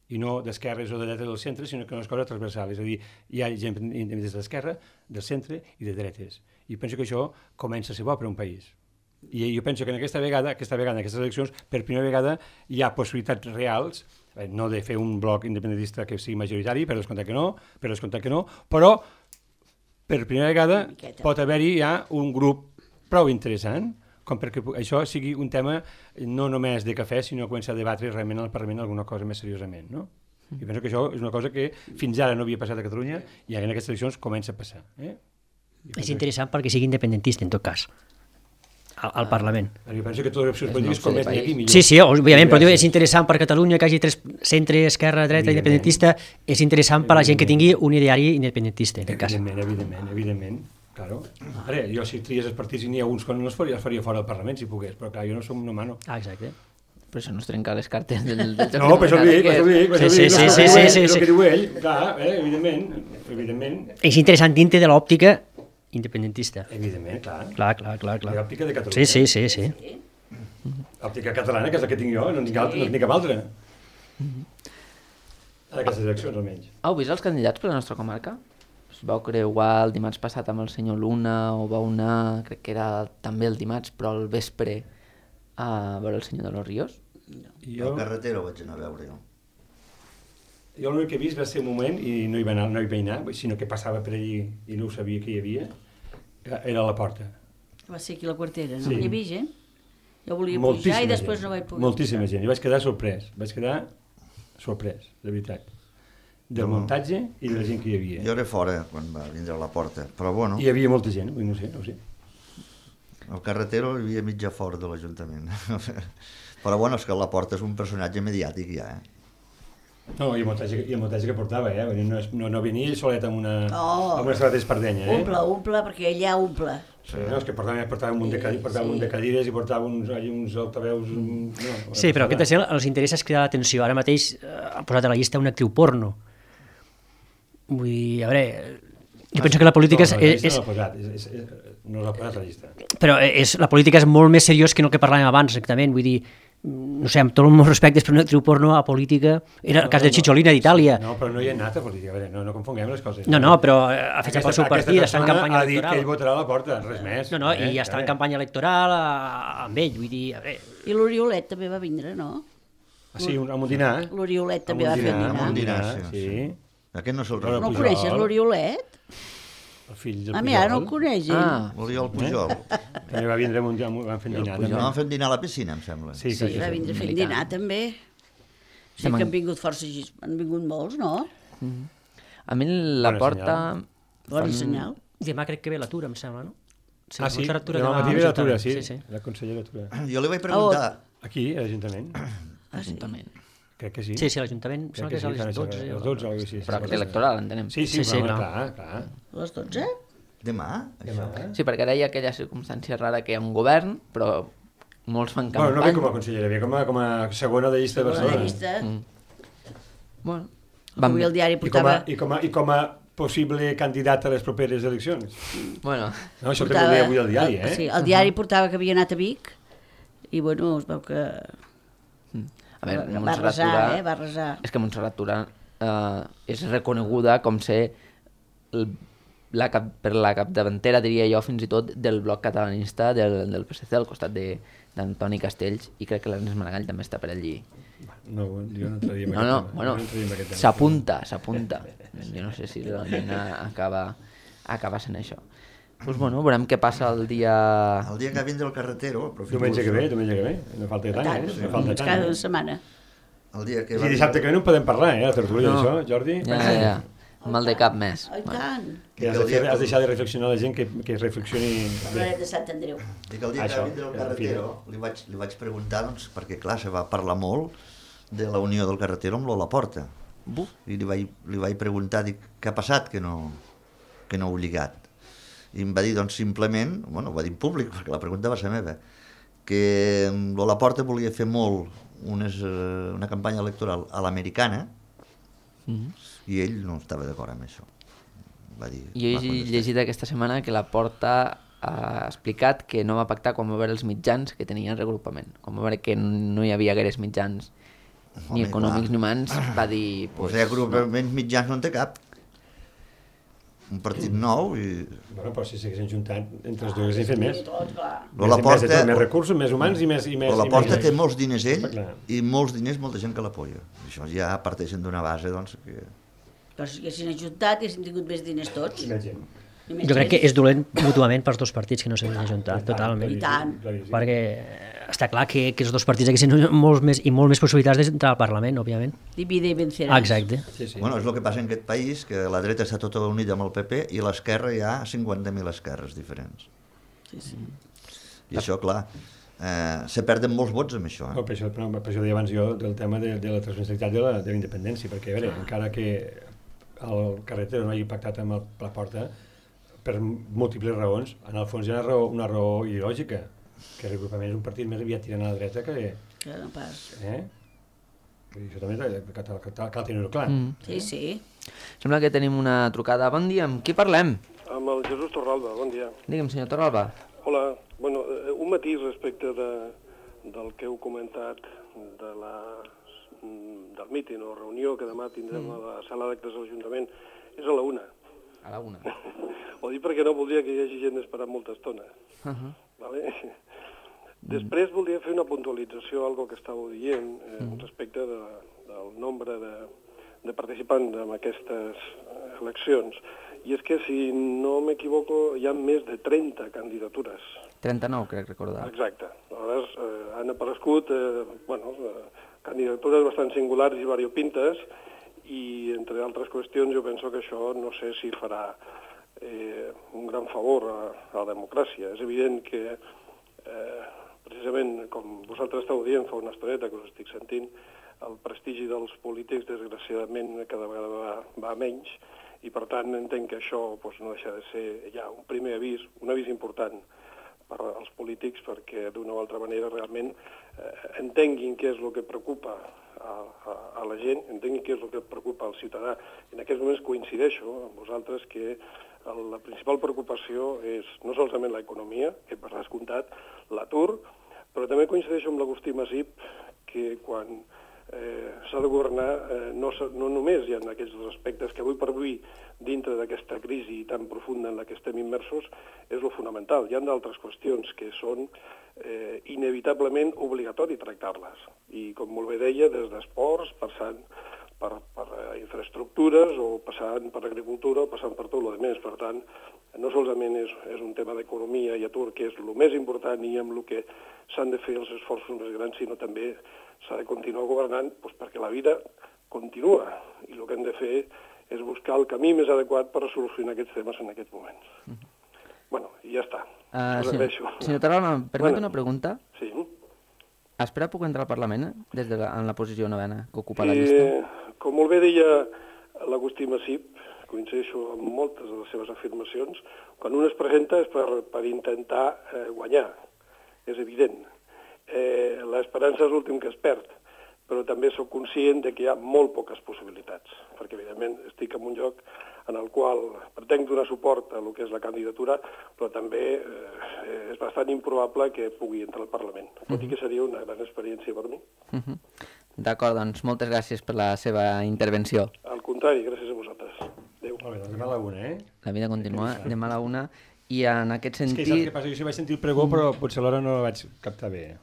i no d'esquerres o de dretes del centre, sinó que és una cosa transversal. És a dir, hi ha gent des de l'esquerra, del centre i de dretes. I penso que això comença a ser bo per un país. I jo penso que en aquesta vegada, aquesta vegada, en aquestes eleccions, per primera vegada hi ha possibilitats reals, no de fer un bloc independentista que sigui majoritari, per descomptat que no, per descomptat que no, però per primera vegada pot haver-hi ja un grup prou interessant, com perquè això sigui un tema no només de cafè, sinó començar a debatre realment al Parlament alguna cosa més seriosament, no? I penso que això és una cosa que fins ara no havia passat a Catalunya i en aquestes eleccions comença a passar. Eh? És interessant perquè sigui independentista, en tot cas, al, al Parlament. Jo penso que totes les opcions polítiques com més n'hi aquí millor. Sí, sí, òbviament, però és interessant per Catalunya que hi hagi tres centre, esquerra, dreta, independentista, és interessant per a la gent que tingui un ideari independentista, en aquest cas. Evidentment, evidentment, evidentment. Claro. Ara, jo si tries els partits i n'hi ha uns quan no els faria, els faria fora del Parlament si pogués, però clar, jo no som una mano. Ah, exacte. Però això no es trenca les cartes del, del joc. No, per això dic, per això dic, per això Sí, dic, sí, no, sí, no, sí, no, sí, és sí. el que diu ell, clar, eh, evidentment, evidentment, És interessant dintre de l'òptica independentista. evidentment, clar. Clar, clar, clar, clar. L'òptica de Catalunya. Sí, sí, sí, sí. L'òptica catalana, que és la que tinc jo, no en tinc, altra, no en tinc cap altra. En aquestes eleccions, almenys. Heu vist els candidats per la nostra comarca? Es vau creuar el dimarts passat amb el senyor Luna o vau anar, crec que era també el dimarts, però al vespre a veure el senyor de los Ríos? I Jo... jo, El carretero vaig anar a veure jo. jo l'únic que he vist va ser un moment, i no hi va anar, no hi vaig anar, sinó que passava per allí i no ho sabia que hi havia, era a la porta. Va ser aquí a la quartera, no? Sí. Hi havia gent? Jo volia Moltíssima pujar i després gent, no vaig poder. Moltíssima gent, i vaig quedar sorprès, vaig quedar sorprès, de veritat, del No. muntatge i de la gent que hi havia. Jo era fora quan va vindre a la porta, però bueno, Hi havia molta gent, no sé, no ho sé. el carretero hi havia mitja fora de l'Ajuntament. Però bueno, és que la porta és un personatge mediàtic ja, eh? No, i el muntatge, i el muntatge que portava, eh? Vull dir, No, és- no, no venia ell solet amb una, Oh. amb una estrada d'espardenya, eh? Omple, omple, perquè ella omple. Sí, no, és que portava, portava un munt de, cadi- portava un munt de cadires i portava uns, allà uns altaveus... No, Sí, però aquest és el, els interessos que da l'atenció. Ara mateix eh, ha posat a la llista una actriu porno. Vull dir, a veure, jo penso que la política és... No, la llista és, no l'ha posat, és, és, és, no l'ha posat a la llista. però és, la política és molt més seriós que no el que parlàvem abans, exactament. Vull dir, no sé, amb tots els meus respectes, però una actriu porno a política... Era el cas de Cicciolina d'Itàlia. No, però no hi ha anat a política, a veure, no, no confonguem les coses. No, no, però ha fet el seu partit, està en campanya ha dit que ell electoral. votarà a la porta, res més. No, no, eh? i ja estava en campanya electoral a- amb ell, vull dir, a veure... I l'Oriolet també va vindre, no? Ah, sí, un, amb un dinar. L'Oriolet Amb també un va fer un dinar, dinar. amb un dinar, sí, sí. sí. Aquest no se'l Bueno, No el Pujol. coneixes, l'Oriolet? El fill del A mi ara no el Pujol. coneix, ell. Ah, L'Oriol Pujol. També va vindre amb un, amb un, van fer un dinar. No també. van fer dinar a la piscina, em sembla. Sí, Sí, crec que va sí. vindre fent militant. dinar, també. Sí Estem que en- han vingut força, gis- han vingut molts, no? a mi la Bona porta... Bon senyal. Demà crec que ve l'atura, em sembla, no? Sí, Ah, sí? Montserrat Tura Demà demà matí a ve l'atura, l'Ajuntament, sí. sí, sí. La consellera Tura. Jo li vaig preguntar... Aquí, a l'Ajuntament. Ah, sí. Ajuntament. Crec que sí. Sí, sí, l'Ajuntament, Crec sembla que és a sí, les fan dotze. això, o- les dotze o alguna cosa així. Però acte electoral, entenem. Sí, sí, Sí, sí, però, clar. clar, clar. A les dotze? Demà? Demà. Sí, perquè ara hi ha aquella circumstància rara que hi ha un govern, però molts fan Bueno, no campanya. ve com a consellera, ve com a, com a segona de llista de Segona de Barcelona. llista. Bueno, Avui el diari I com, a, portava... i, com a, I com a possible candidat a les properes eleccions. bueno, No, això també ho deia avui al diari, eh? Sí, el diari portava que havia anat a Vic i, bueno, es veu que a veure, va Montserrat resar, Tura... eh? Va resar. És que Montserrat Tura eh, és reconeguda com ser el, la cap, per la capdavantera, diria jo, fins i tot, del bloc catalanista del, del P S C, al costat de- d'Antoni Castells, i crec que l'Ernest Maragall també està per allí. No, jo no entraria en No, aquest no, tema. bueno, Jo no entraria en aquest tema. s'apunta, s'apunta. Jo no sé si realment acaba, acaba sent això. Doncs bueno, veurem què passa el dia... El dia que vindre el carretero... aprofito Diumenge que això. ve, diumenge que ve. No falta tant, Tant, eh? No falta tant. cada eh? setmana. El dia que I va dissabte que ve no en podem parlar, eh? La tertúlia No. d'això, Jordi. Ja, ja, ja. Mal de cap més. Ai, tant. Que has, de fer, has deixat de reflexionar la gent que, que reflexioni bé. Parlarem de Sant Andreu. Dic, el dia Això, que va vindre el que és carretero li vaig, li vaig preguntar, doncs, perquè clar, se va parlar molt de la unió del carretero amb l'Ola Porta. Buf. I li vaig, li vaig preguntar, dic, què ha passat que no, que no heu lligat? I em va dir, doncs, simplement, bueno, ho va dir en públic, perquè la pregunta va ser meva, que l'Ola Porta volia fer molt unes, eh, una campanya electoral a l'americana i ell no estava d'acord amb això. Va dir, Jo he va contestar. llegit aquesta setmana que la Porta ha explicat que no va pactar quan va veure els mitjans que tenia el regrupament. Quan va veure que no hi havia gaires mitjans ni Home, econòmics clar. ni humans, va dir... Pues, o sigui, agrupaments mitjans no en té cap. Un partit nou i... Bueno, però si s'haguessin juntat entre els dos haguessin fet més. Tot, clar. Més, La més, Porta- de tot, més recursos, més humans i més... I més Però la i Porta més- té molts diners ell Està clar. i molts diners molta gent que l'apoya. Això ja parteixen d'una base, doncs, que... Però si haguessin ajuntat, haguessin tingut més diners tots. I més gent. I més Jo crec gent. que és dolent mútuament pels dos partits que no s'han ajuntat, totalment. I tant. Claríssim. Perquè està clar que, que els dos partits haguessin molts més, i molt més possibilitats d'entrar al Parlament, òbviament. Divide i venceràs. Exacte. Sí, sí. Bueno, és el que passa en aquest país, que la dreta està tota unida amb el P P i l'esquerra hi ha cinquanta mil esquerres diferents. Sí, sí. I això, clar, eh, se perden molts vots amb això. No, Eh? per, això, per, per això deia abans jo del tema de, de la transversalitat de la, de la independència, perquè a veure, encara que el carretero no hagi pactat amb el, la Porta, per múltiples raons, en el fons hi ha una raó, una raó ideològica, que el regrupament és un partit més aviat tirant a la dreta que... Que no pas. Eh? Vull dir, això també cal, cal, cal, cal tenir-ho clar. Mm. Sí, sí. Sembla que tenim una trucada. Bon dia, amb qui parlem? Amb el Jesús Torralba, bon dia. Digue'm, senyor Torralba. Hola, bueno, eh, un matís respecte de, del que heu comentat de la, mm, del míting o reunió que demà tindrem a la sala d'actes de l'Ajuntament, és a la una. A la una. Ho dic perquè no voldria que hi hagi gent esperant molta estona. Uh -huh. Vale? Després voldria fer una puntualització, algo que estàveu dient, eh, respecte de, del nombre de, de participants en aquestes eh, eleccions. I és que, si no m'equivoco, hi ha més de trenta candidatures. trenta-nou, crec recordar. Exacte. Aleshores, eh, han aparegut eh, bueno, eh, candidatures bastant singulars i variopintes, i, entre altres qüestions, jo penso que això no sé si farà eh, un gran favor a, a la democràcia. És evident que, eh, precisament, com vosaltres esteu dient fa una estoneta que us estic sentint, el prestigi dels polítics, desgraciadament, cada vegada va, va a menys, i, per tant, entenc que això doncs, no deixa de ser ja un primer avís, un avís important per als polítics, perquè d'una o altra manera realment eh, entenguin què és el que preocupa a, a, a la gent, entenguin què és el que preocupa al ciutadà. En aquests moments coincideixo amb vosaltres que el, la principal preocupació és no solament l'economia, que per descomptat, l'atur, però també coincideixo amb l'Agustí Masip, que quan eh, s'ha de governar eh, no, no només hi ha aquests dos aspectes que avui per avui, dintre d'aquesta crisi tan profunda en la que estem immersos, és lo fonamental. Hi ha d'altres qüestions que són eh, inevitablement obligatori tractar-les. I, com molt bé deia, des d'esports, passant per, per infraestructures, o passant per agricultura, o passant per tot el més. Per tant, no solament és, és un tema d'economia i atur, que és el més important i amb el que s'han de fer els esforços més grans, sinó també s'ha de continuar governant doncs, perquè la vida continua. I el que hem de fer és buscar el camí més adequat per solucionar aquests temes en aquests moments. Mm-hmm. Bueno, i ja està. Uh, Us agraeixo. senyor, senyor Torralba, em permet Bueno. una pregunta? Sí. Espera, puc entrar al Parlament eh? des de la, en la posició novena que ocupa la llista? Eh, com molt bé deia l'Agustí Masip, coincideixo amb moltes de les seves afirmacions, quan un es presenta és per, per intentar eh, guanyar, és evident. Eh, L'esperança és l'últim que es perd, però també sóc conscient de que hi ha molt poques possibilitats, perquè evidentment estic en un lloc en el qual pretenc donar suport a el que és la candidatura, però també eh, és bastant improbable que pugui entrar al Parlament, tot i que seria una gran experiència per mi. Uh -huh. D'acord, doncs moltes gràcies per la seva intervenció. Al contrari, gràcies a vosaltres. Adéu. Molt bé, doncs demà a la una, eh? La vida continua, demà a la una, i en aquest És que sentit... saps què passa? Jo sí vaig sentir el pregó, però potser alhora no la vaig captar bé.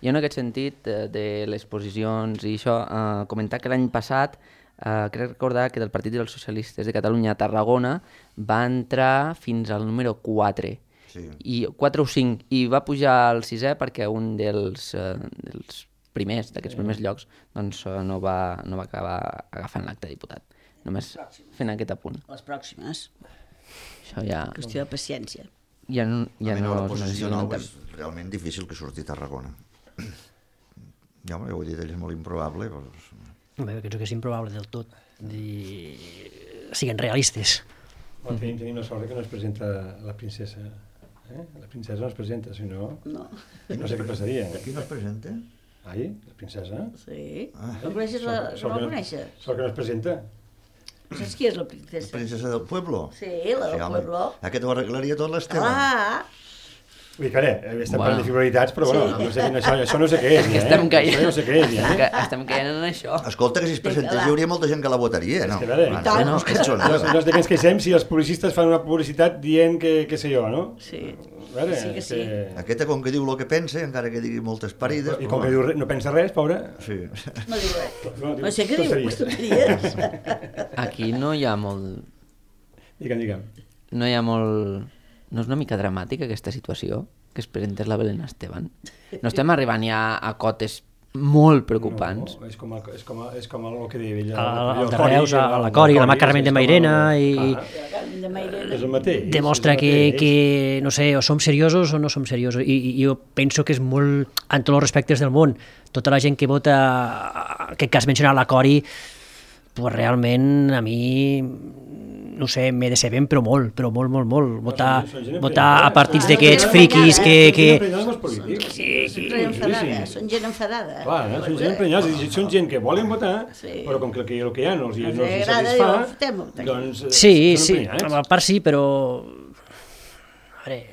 I en aquest sentit, eh, de les posicions i això, eh, comentar que l'any passat, eh, crec recordar que del Partit dels Socialistes de Catalunya a Tarragona va entrar fins al número quatre, Sí. i quatre o cinc, i va pujar al sisè perquè un dels, eh, dels primers, d'aquests primers llocs, doncs eh, no, va, no va acabar agafant l'acte de diputat. Només fent aquest apunt. Les pròximes. Això ja, Qüestió de paciència. ja, no- ja a mi no, la no, posició no, nova és realment difícil que surti a Tarragona. Ja, home, ho he dit, ell és molt improbable, però... Bé, penso que és improbable del tot. I... Siguin realistes. Bon, tenim, tenim la sort que no es presenta la princesa. Eh? La princesa no es presenta, si no... No. No sé què passaria. Aquí no es presenta? Ai, la princesa? Sí. Ah. No coneixes la... Sort No que la coneixes? Sort que no es presenta. Saps qui és la princesa? Princesa del Pueblo? Sí, la del home, Pueblo. Aquest ho arreglaria tot l'Esteban. Ah! Vull dir que, ara, estem Bueno. parlant de frivolaritats, però bueno, no sé, això, això no sé què és, Que ja, estem eh? caient, Això no sé què és, ja, que eh? estem caient en això. Escolta, que si es presentés va. hi hauria molta gent que la votaria, no? que a veure, Ah, tant. no, que són, No, no és de què ens queixem si els publicistes fan una publicitat dient que, que sé jo, no? Sí. A veure, Sí que sí. Aquesta, com que diu el que pensa, encara que digui moltes parides... I com que diu, re- no pensa res, pobre... Sí. No diu res. No, diu No sé què diu, tonteries. tonteries. Aquí no hi ha molt... Digue'm, digue'm. No hi ha molt... No és una mica dramàtica aquesta situació? Que es presentés la Belén Esteban? No estem arribant ja a cotes molt preocupants? No, és com, el, és com, el, és com el, el que deia ella. El, el de Reus, a la Cori, la mà Carmen de Mairena, i De Mairena. És el mateix. demostra és el que, mateix. que, no sé, o som seriosos o no som seriosos. I, i jo penso que és molt, en tots els respectes del món, tota la gent que vota, en aquest cas mencionar la Cori, pues realment a mi, no sé, me deceben, però molt, però molt, molt, molt. Votar, Són gent votar a emprenyada. partits Clar, d'aquests són friquis gent que... Són gent que... emprenyada amb els polítics. Sempre enfadada, són gent enfadada. Clar, eh? Són gent emprenyada, és a dir, són gent que volen votar, Sí. però com que el que, el que hi ha no els, Els no els agrada, satisfà, diu, fotem-ho, tant. doncs eh, Sí, són sí, emprenyats. a part sí, però... A veure,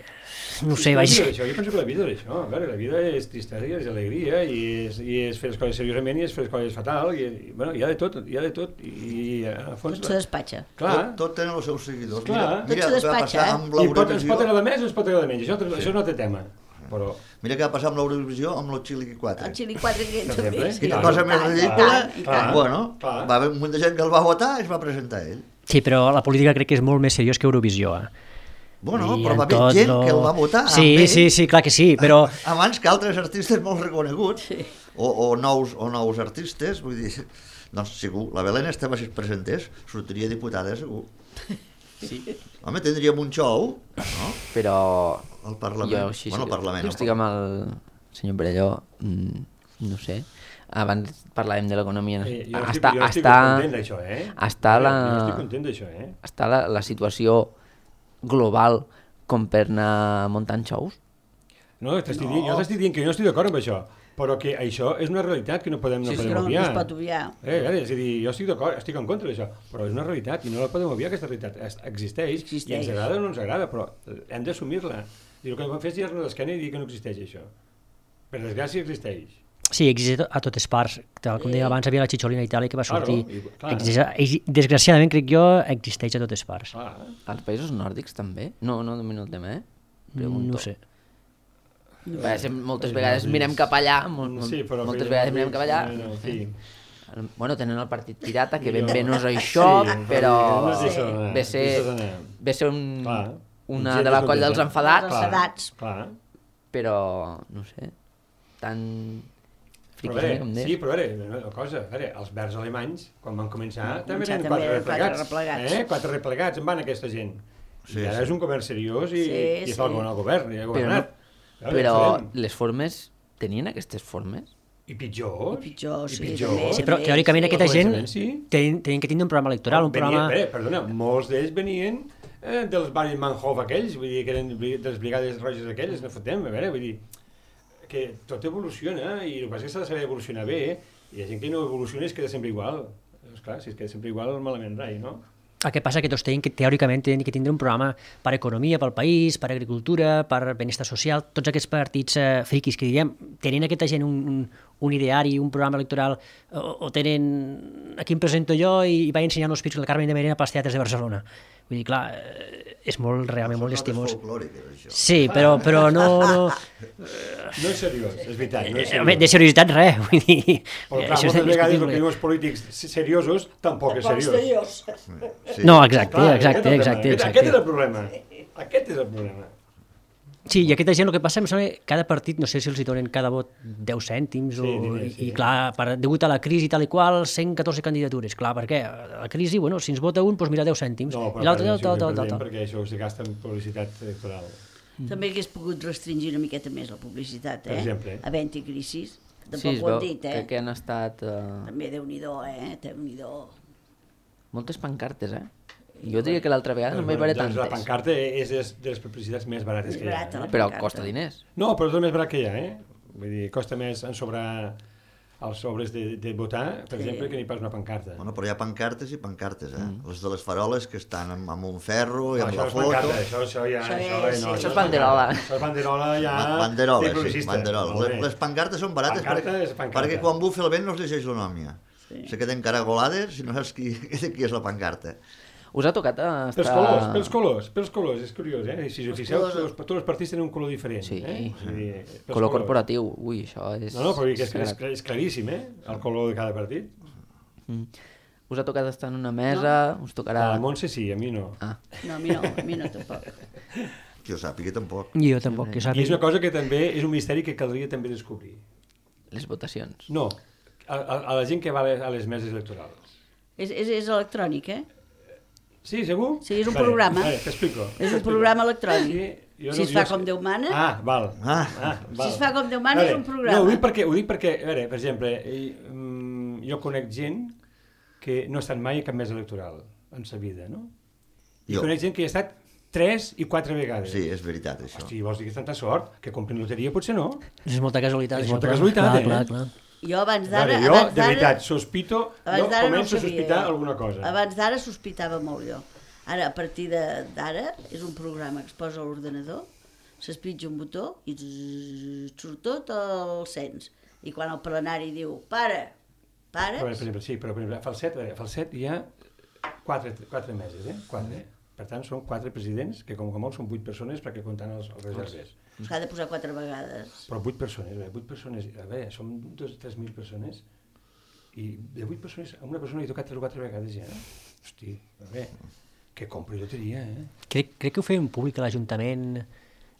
no sé, La vaig... vida és això, jo penso que la vida és això, a veure, la vida és tristesa i és alegria, i és, i és fer les coses seriosament i és fer les coses fatal, i, i bueno, hi ha de tot, hi ha de tot, i, i a fons... Tot se despatxa. Clar, Tot, tot tenen els seus seguidors. Clar. Mira, Tot mira se el que va despatxa, passar eh? amb i pot, ens pot l'Eurovisió. agradar més o ens pot agradar menys, això, això és un altre tema, però... Mira què va passar amb l'Eurovisió amb los Chili quatre. El Xili quatre que Per exemple, sí. Quina Clar, cosa I més tant, i ridícula. tant, i tant. Bueno, Clar. va haver un munt de gent que el va votar i es va presentar ell. Sí, però la política crec que és molt més seriós que Eurovisió. Eh? Bueno, I però en va haver tot gent no- que el va votar Sí, amb ell, sí, sí, clar que sí, però... abans que altres artistes molt reconeguts, o, o, nous, o nous artistes, vull dir, doncs segur, la Belén Esteban si es presentés, sortiria diputada segur. Sí. Home, tindríem un show, no? Però... Al Parlament. Jo, així, Bueno, al Parlament, jo al estic amb el senyor Perelló, mm, no sé, abans parlàvem de l'economia. Eh, jo no estic, està, jo no estic està, content d'això, eh? està la, Jo no estic content d'això, eh? està la, la situació global com per anar muntant xous? No, t'estic dient, jo t'estic dient que jo no estic d'acord amb això, però que això és una realitat que no podem, no Sí, sí, podem no, no obviar. es pot obviar. Eh, eh, és a dir, jo estic d'acord, estic en contra d'això, però és una realitat i no la podem obviar, aquesta realitat. Es- Existeix, Existeix. i ens agrada o no ens agrada, però hem d'assumir-la. I el que vam fer és girar-nos l'esquena i dir que no existeix això. Per desgràcia existeix. Sí, existeix a totes parts. Tal com deia abans, hi havia la xixolina a Itàlia que va Claro, sortir. i- clar. Existeix, desgraciadament, crec jo, existeix a totes parts. Ah, Als països nòrdics també? No, no domino el tema, eh? Pregunto. No sé. Perquè sem- moltes vegades mirem cap allà, molt, molt, sí, però moltes que- vegades mirem cap allà. No, no, en fi. Bueno, tenen el partit pirata, que ben bé no és això, Sí, però no és això, eh, ve ser, deixa's anar. ve ser un, Clar, una gent de la descontenta. colla dels enfadats, Els enfadats. Clar. però, no sé, tan Però a friquis, veure, eh, com deies. sí, però a veure, una cosa, a veure, els verds alemanys, quan van començar, també començar eren també quatre eren quatre replegats. replegats. Eh? Quatre replegats, en van aquesta gent. Sí, I ara sí. és un govern seriós i, Sí, i sí. està al govern, al govern, i ha Però, governat. no, A veure, però farem. les formes, tenien aquestes formes? I pitjors. I pitjor, sí, pitjor. també. Sí, però també, teòricament sí. aquesta Al gent començament, sí. tenien, tenien que tindre un programa electoral, un Venien, programa... eh, perdona, molts d'ells venien eh, dels barris Manhof aquells, vull dir, que eren bri- de les brigades roges aquelles, no fotem, a veure, vull dir, que tot evoluciona i el que passa és que s'ha de saber evolucionar bé, i hi ha gent que no evoluciona i es queda sempre igual. Esclar, si es queda sempre igual, malament rai, no? El que passa que tots tenen que, teòricament, tenen que tindre un programa per economia, pel país, per agricultura, per benestar social, tots aquests partits eh, friquis que diríem, tenen aquesta gent un, un, un ideari, un programa electoral, o, o tenen, aquí em presento jo i, i vaig ensenyant els pits de la Carmen de Mairena pels teatres de Barcelona. Vull dir, clar, eh, és molt, realment molt Són estimós. notes folclòriques, això. Sí, però, però no... no No és seriós, és veritat, no és eh, home, seriós. de seriositat res, vull dir... Però eh, clar, això és moltes vegades el que indiscutible. diuen els polítics seriosos tampoc és seriós. Sí. No, exacte, Clar, exacte, aquest és el exacte, problema. Aquest, aquest és exacte. el problema. Aquest és el problema. Sí, i aquesta gent el que passa, em sembla que cada partit, no sé si els hi donen cada vot deu cèntims, Sí, o, diners, i, sí. i clar, per, degut a la crisi tal i qual, cent catorze candidatures. Clar, per què? A la crisi, bueno, si ens vota un, doncs mira, deu cèntims. No, I l'altre, perdem, tal, sí, tal, tal, perdem, tal. perquè això es gasta en publicitat electoral. També hagués pogut restringir una miqueta més la publicitat, eh? Per exemple. Havent-hi crisis. Tampoc Sí, es ho han veu dit, eh? que, que han estat eh, També Déu-n'hi-do, eh? Déu-n'hi-do. moltes pancartes, eh? Jo diria que l'altra vegada no m'hi veuré doncs la tantes, pancarta és de, de les publicitats més barates Més que hi ha. barata, Eh? la però pancarta. costa diners. No, però és el més barat que hi ha, eh? Vull dir, costa més ensobrar els sobres de, de votar, per Sí. exemple, que n'hi pas una pancarta. Bueno, però hi ha pancartes i pancartes, eh? Mm. Les de les faroles que estan amb, amb un ferro i No, amb això la és foto. pancarta, això, això ja... Això Això, és- eh, no, sí, això és banderola. Això és banderola ja... Ba- Banderoles, de sí, progressista. banderoles. Molt Les, bé. les pancartes són barates Pancarta perquè, és pancarta. perquè quan bufa el vent no es llegeix la nòmia. Sí. Se queden caragolades i no saps qui, qui és la pancarta. Us ha tocat estar... Pels colors, pels colors, pels colors, és curiós, eh? Si us fixeu, colors- tots, tots els partits tenen un color diferent. Sí. Eh? O sigui, pels Color colors. corporatiu, ui, això és... No, no, però és, és, sagrat. és claríssim, eh? El color de cada partit. Mm. Us ha tocat estar en una mesa, us tocarà... A la Montse sí, a mi no. Ah, No, a mi no, a mi no tampoc. Que jo sàpiga tampoc. Jo tampoc, que I és sàpiga. una cosa que també és un misteri que caldria també descobrir. les votacions. No, a, a, a la gent que va a les, a les meses electorals. És, és, és electrònic, eh? Sí, segur? Sí, és un Vale, programa. Vale, t'explico. És un t'explico. programa electrònic. Sí, jo Si es jo fa sé- com Déu mana. Ah, val. Ah. ah val. Si es fa com Déu mana, és un programa. No, ho dic perquè, ho dic perquè a veure, per exemple, eh, mm, jo conec gent que no ha estat mai a cap mesa electoral en sa vida, no? I Jo. conec gent que hi ha estat tres i quatre vegades. Sí, és veritat, això. Hosti, vols dir que és tanta sort? Que comprin loteria potser no. És molta casualitat. És això, molta clar. casualitat, clar, eh? Clar, clar. Jo abans A d'ara... veure, jo, abans de d'ara- veritat, sospito, abans jo d'ara no ho començo a sabia, sospitar jo. alguna cosa. Abans d'ara sospitava molt jo. Ara, a partir de- d'ara, és un programa que es posa a l'ordenador, s'espitja un botó i zzz, surt tot el cens. I quan el plenari diu, para, para, Però, per exemple, sí, però per exemple, a Falset, a veure, a Falset hi ha quatre, quatre meses, eh? Quatre. Per tant, són quatre presidents, que com que molt són vuit persones perquè comptant els, els reserves. s'ha de posar quatre vegades. Però vuit persones, a veure, vuit persones, a veure, som dos o tres mil persones, i de vuit persones, a una persona li ha tocat tres o quatre vegades ja. Hosti, a veure, que compri loteria, eh? Crec, crec que ho feien públic a l'Ajuntament.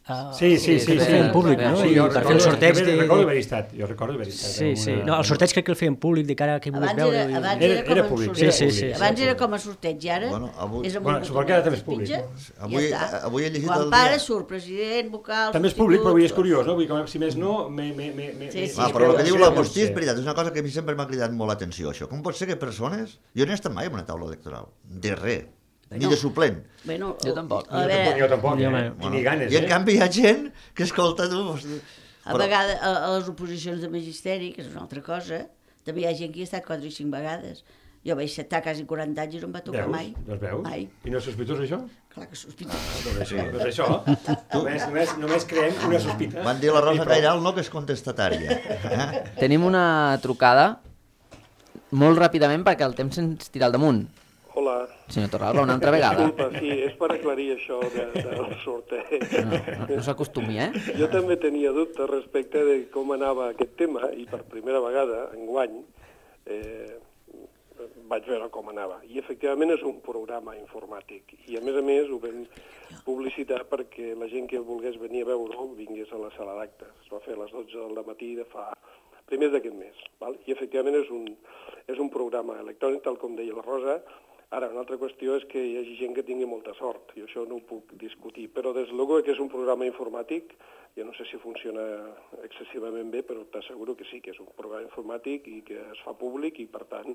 Uh, Sí, sí, sí. Ho sí, feien sí. públic, no? Sí, I jo per fer el recordo, sorteig jo de... recordo haver estat, jo recordo haver estat. Sí, en sí. una- No, el sorteig crec que el feien públic de cara a qui volgués Abans veure. era, abans Era- era, com era a públic, sorteig. sí, sí, sí. Abans era com a sorteig i ara Bueno, avui- és amb Bueno, un suposo que ara també és públic. pitja, Avui- i ja està. avui he llegit Quan el para dia- surt president, vocal, També és públic, però avui és substitut, curiós, no? Vull dir que si més no, me... me, me, me Sí, sí, Ah, me- però el que me- diu me- l'Agustí és me- veritat, és una cosa que a mi sempre m'ha cridat molt l'atenció, això. Com pot ser que persones... Jo no he estat mai en una taula electoral, de res, ni Bueno. de suplent. Bueno, Jo tampoc. A Jo veure, tampoc, jo tampoc, Jo, eh? home. I ni ganes, I en eh? canvi hi ha gent que escolta tu... hosti, a vegades a, a les oposicions de magisteri, que és una altra cosa, també hi ha gent que hi ha estat quatre i cinc vegades. Jo vaig estar quasi quaranta anys i no em va tocar Veus? mai. Doncs veus? Mai. I no és sospitós, això? Clar que sospito. Doncs això, doncs això. Només, només, només creem una sospita. Van dir la I Rosa prou. Cairal no, que és contestatària. Eh? Tenim una trucada molt ràpidament perquè el temps se'ns tira al damunt. Hola. Senyor Torralba, una altra vegada. Disculpa, sí, és per aclarir això de, del sorteig. No, no, no s'acostumi, eh? Jo també tenia dubtes respecte de com anava aquest tema i per primera vegada, enguany, eh, vaig veure com anava. I efectivament és un programa informàtic. I a més a més ho vam publicitar perquè la gent que volgués venir a veure-ho vingués a la sala d'actes. Es va fer a les dotze del matí de fa primers d'aquest mes. Val? I efectivament és un, és un programa electrònic, tal com deia la Rosa. Ara, una altra qüestió és que hi hagi gent que tingui molta sort, i això no ho puc discutir, però des de luego que és un programa informàtic, jo no sé si funciona excessivament bé, però t'asseguro que sí, que és un programa informàtic i que es fa públic i, per tant,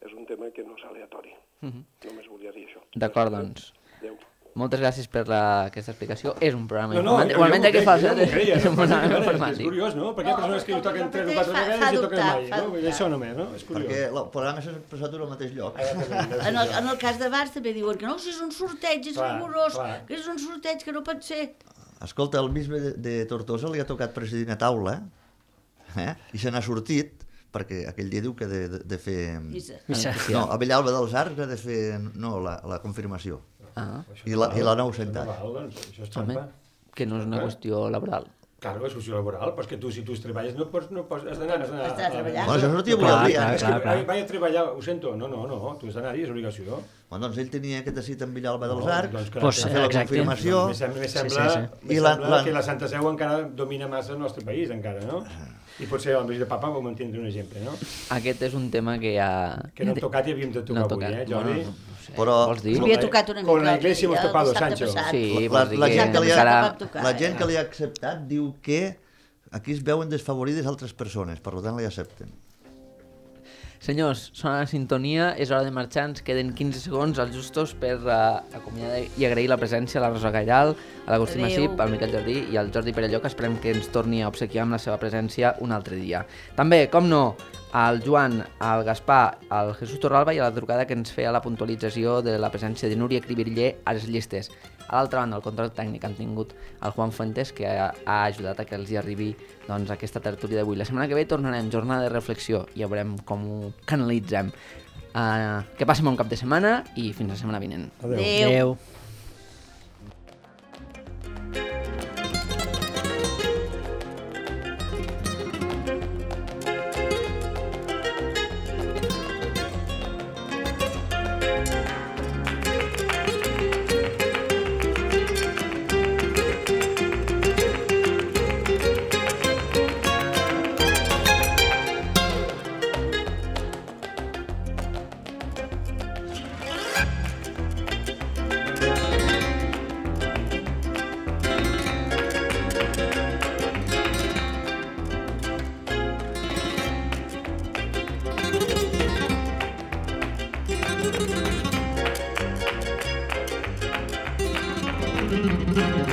és un tema que no és aleatori. Només volia dir això. D'acord, doncs. Adéu. Moltes gràcies per la, aquesta explicació. És un programa No, no, informàtic. jo, Igualment jo que m'ho fa crec, jo m'ho creia, és un no, programa és informàtic. curiós, no? Perquè hi ha persones que hi toquen tres o quatre fa- vegades fa i toquen dubtar, mai, fa no? Vull dir, dubtar. això només, no? És curiós. Perquè el programa s'ha expressat en el mateix lloc. Ah, ja t'entenc, En el, en el cas de Bars també diuen que no, si és un sorteig, és Clar, rigorós, clar. que és un sorteig que no pot ser. Escolta, el bisbe de, de Tortosa li ha tocat presidir una taula, eh? I se n'ha sortit, perquè aquell dia diu que de, de, de fer... Missa. Missa. No, a Villalba dels Arcs ha de fer no, la, la confirmació. Ah, Això I la- no i la val, nou això sentat. no val, doncs, això és home, trampa. que no és una qüestió laboral. Claro, és qüestió laboral, però és que tu, si tu treballes, no pots, no pots, has d'anar, has d'anar... Has d'anar a treballar. Bueno, això sortia avui Clar, al dia. clar, eh? És que vaig, vaig a treballar, ho sento, no, no, no, tu has d'anar-hi, és obligació. Bueno, doncs ell tenia aquesta cita amb Villalba dels No, Arcs, doncs que- Pues, va fer la exacte. confirmació, Me sembla, me Sí, sembla, sí, me I la- sembla la- que la Santa Seu encara domina massa el nostre país, encara, no? I potser el de papa vam entendre un exemple, no? Aquest és un tema que ja... Que no hem tocat i havíem de tocar No avui, tocat. eh, Jordi? Bueno, no sé. Però- Vols dir? Com Havia la- tocat una mica. con la iglesia hemos el topado, dissabte Sancho. passat. Sí, La- vols dir la que gent que li ha- encara... vam tocar, la gent eh? que li ha acceptat diu que aquí es veuen desfavorides altres persones, per tant li accepten. Senyors, sona la sintonia, és hora de marxar, ens queden quinze segons als justos per uh, acomiadar i agrair la presència a la Rosa Gallal, a l'Agustí Massip, al Miquel Jardí i al Jordi Perelló, que esperem que ens torni a obsequiar amb la seva presència un altre dia. També, com no, al Joan, al Gaspar, al Jesús Torralba i a la trucada que ens feia la puntualització de la presència de Núria Cribirller a les llistes. A l'altra banda, el control tècnic han tingut el Juan Fuentes, que ha, ha ajudat a que els hi arribi doncs, aquesta tertúlia d'avui. La setmana que ve tornarem, jornada de reflexió, i ja veurem com ho canalitzem. Uh, que passi bon cap de setmana i fins la setmana vinent. Adéu. Adéu. Thank you.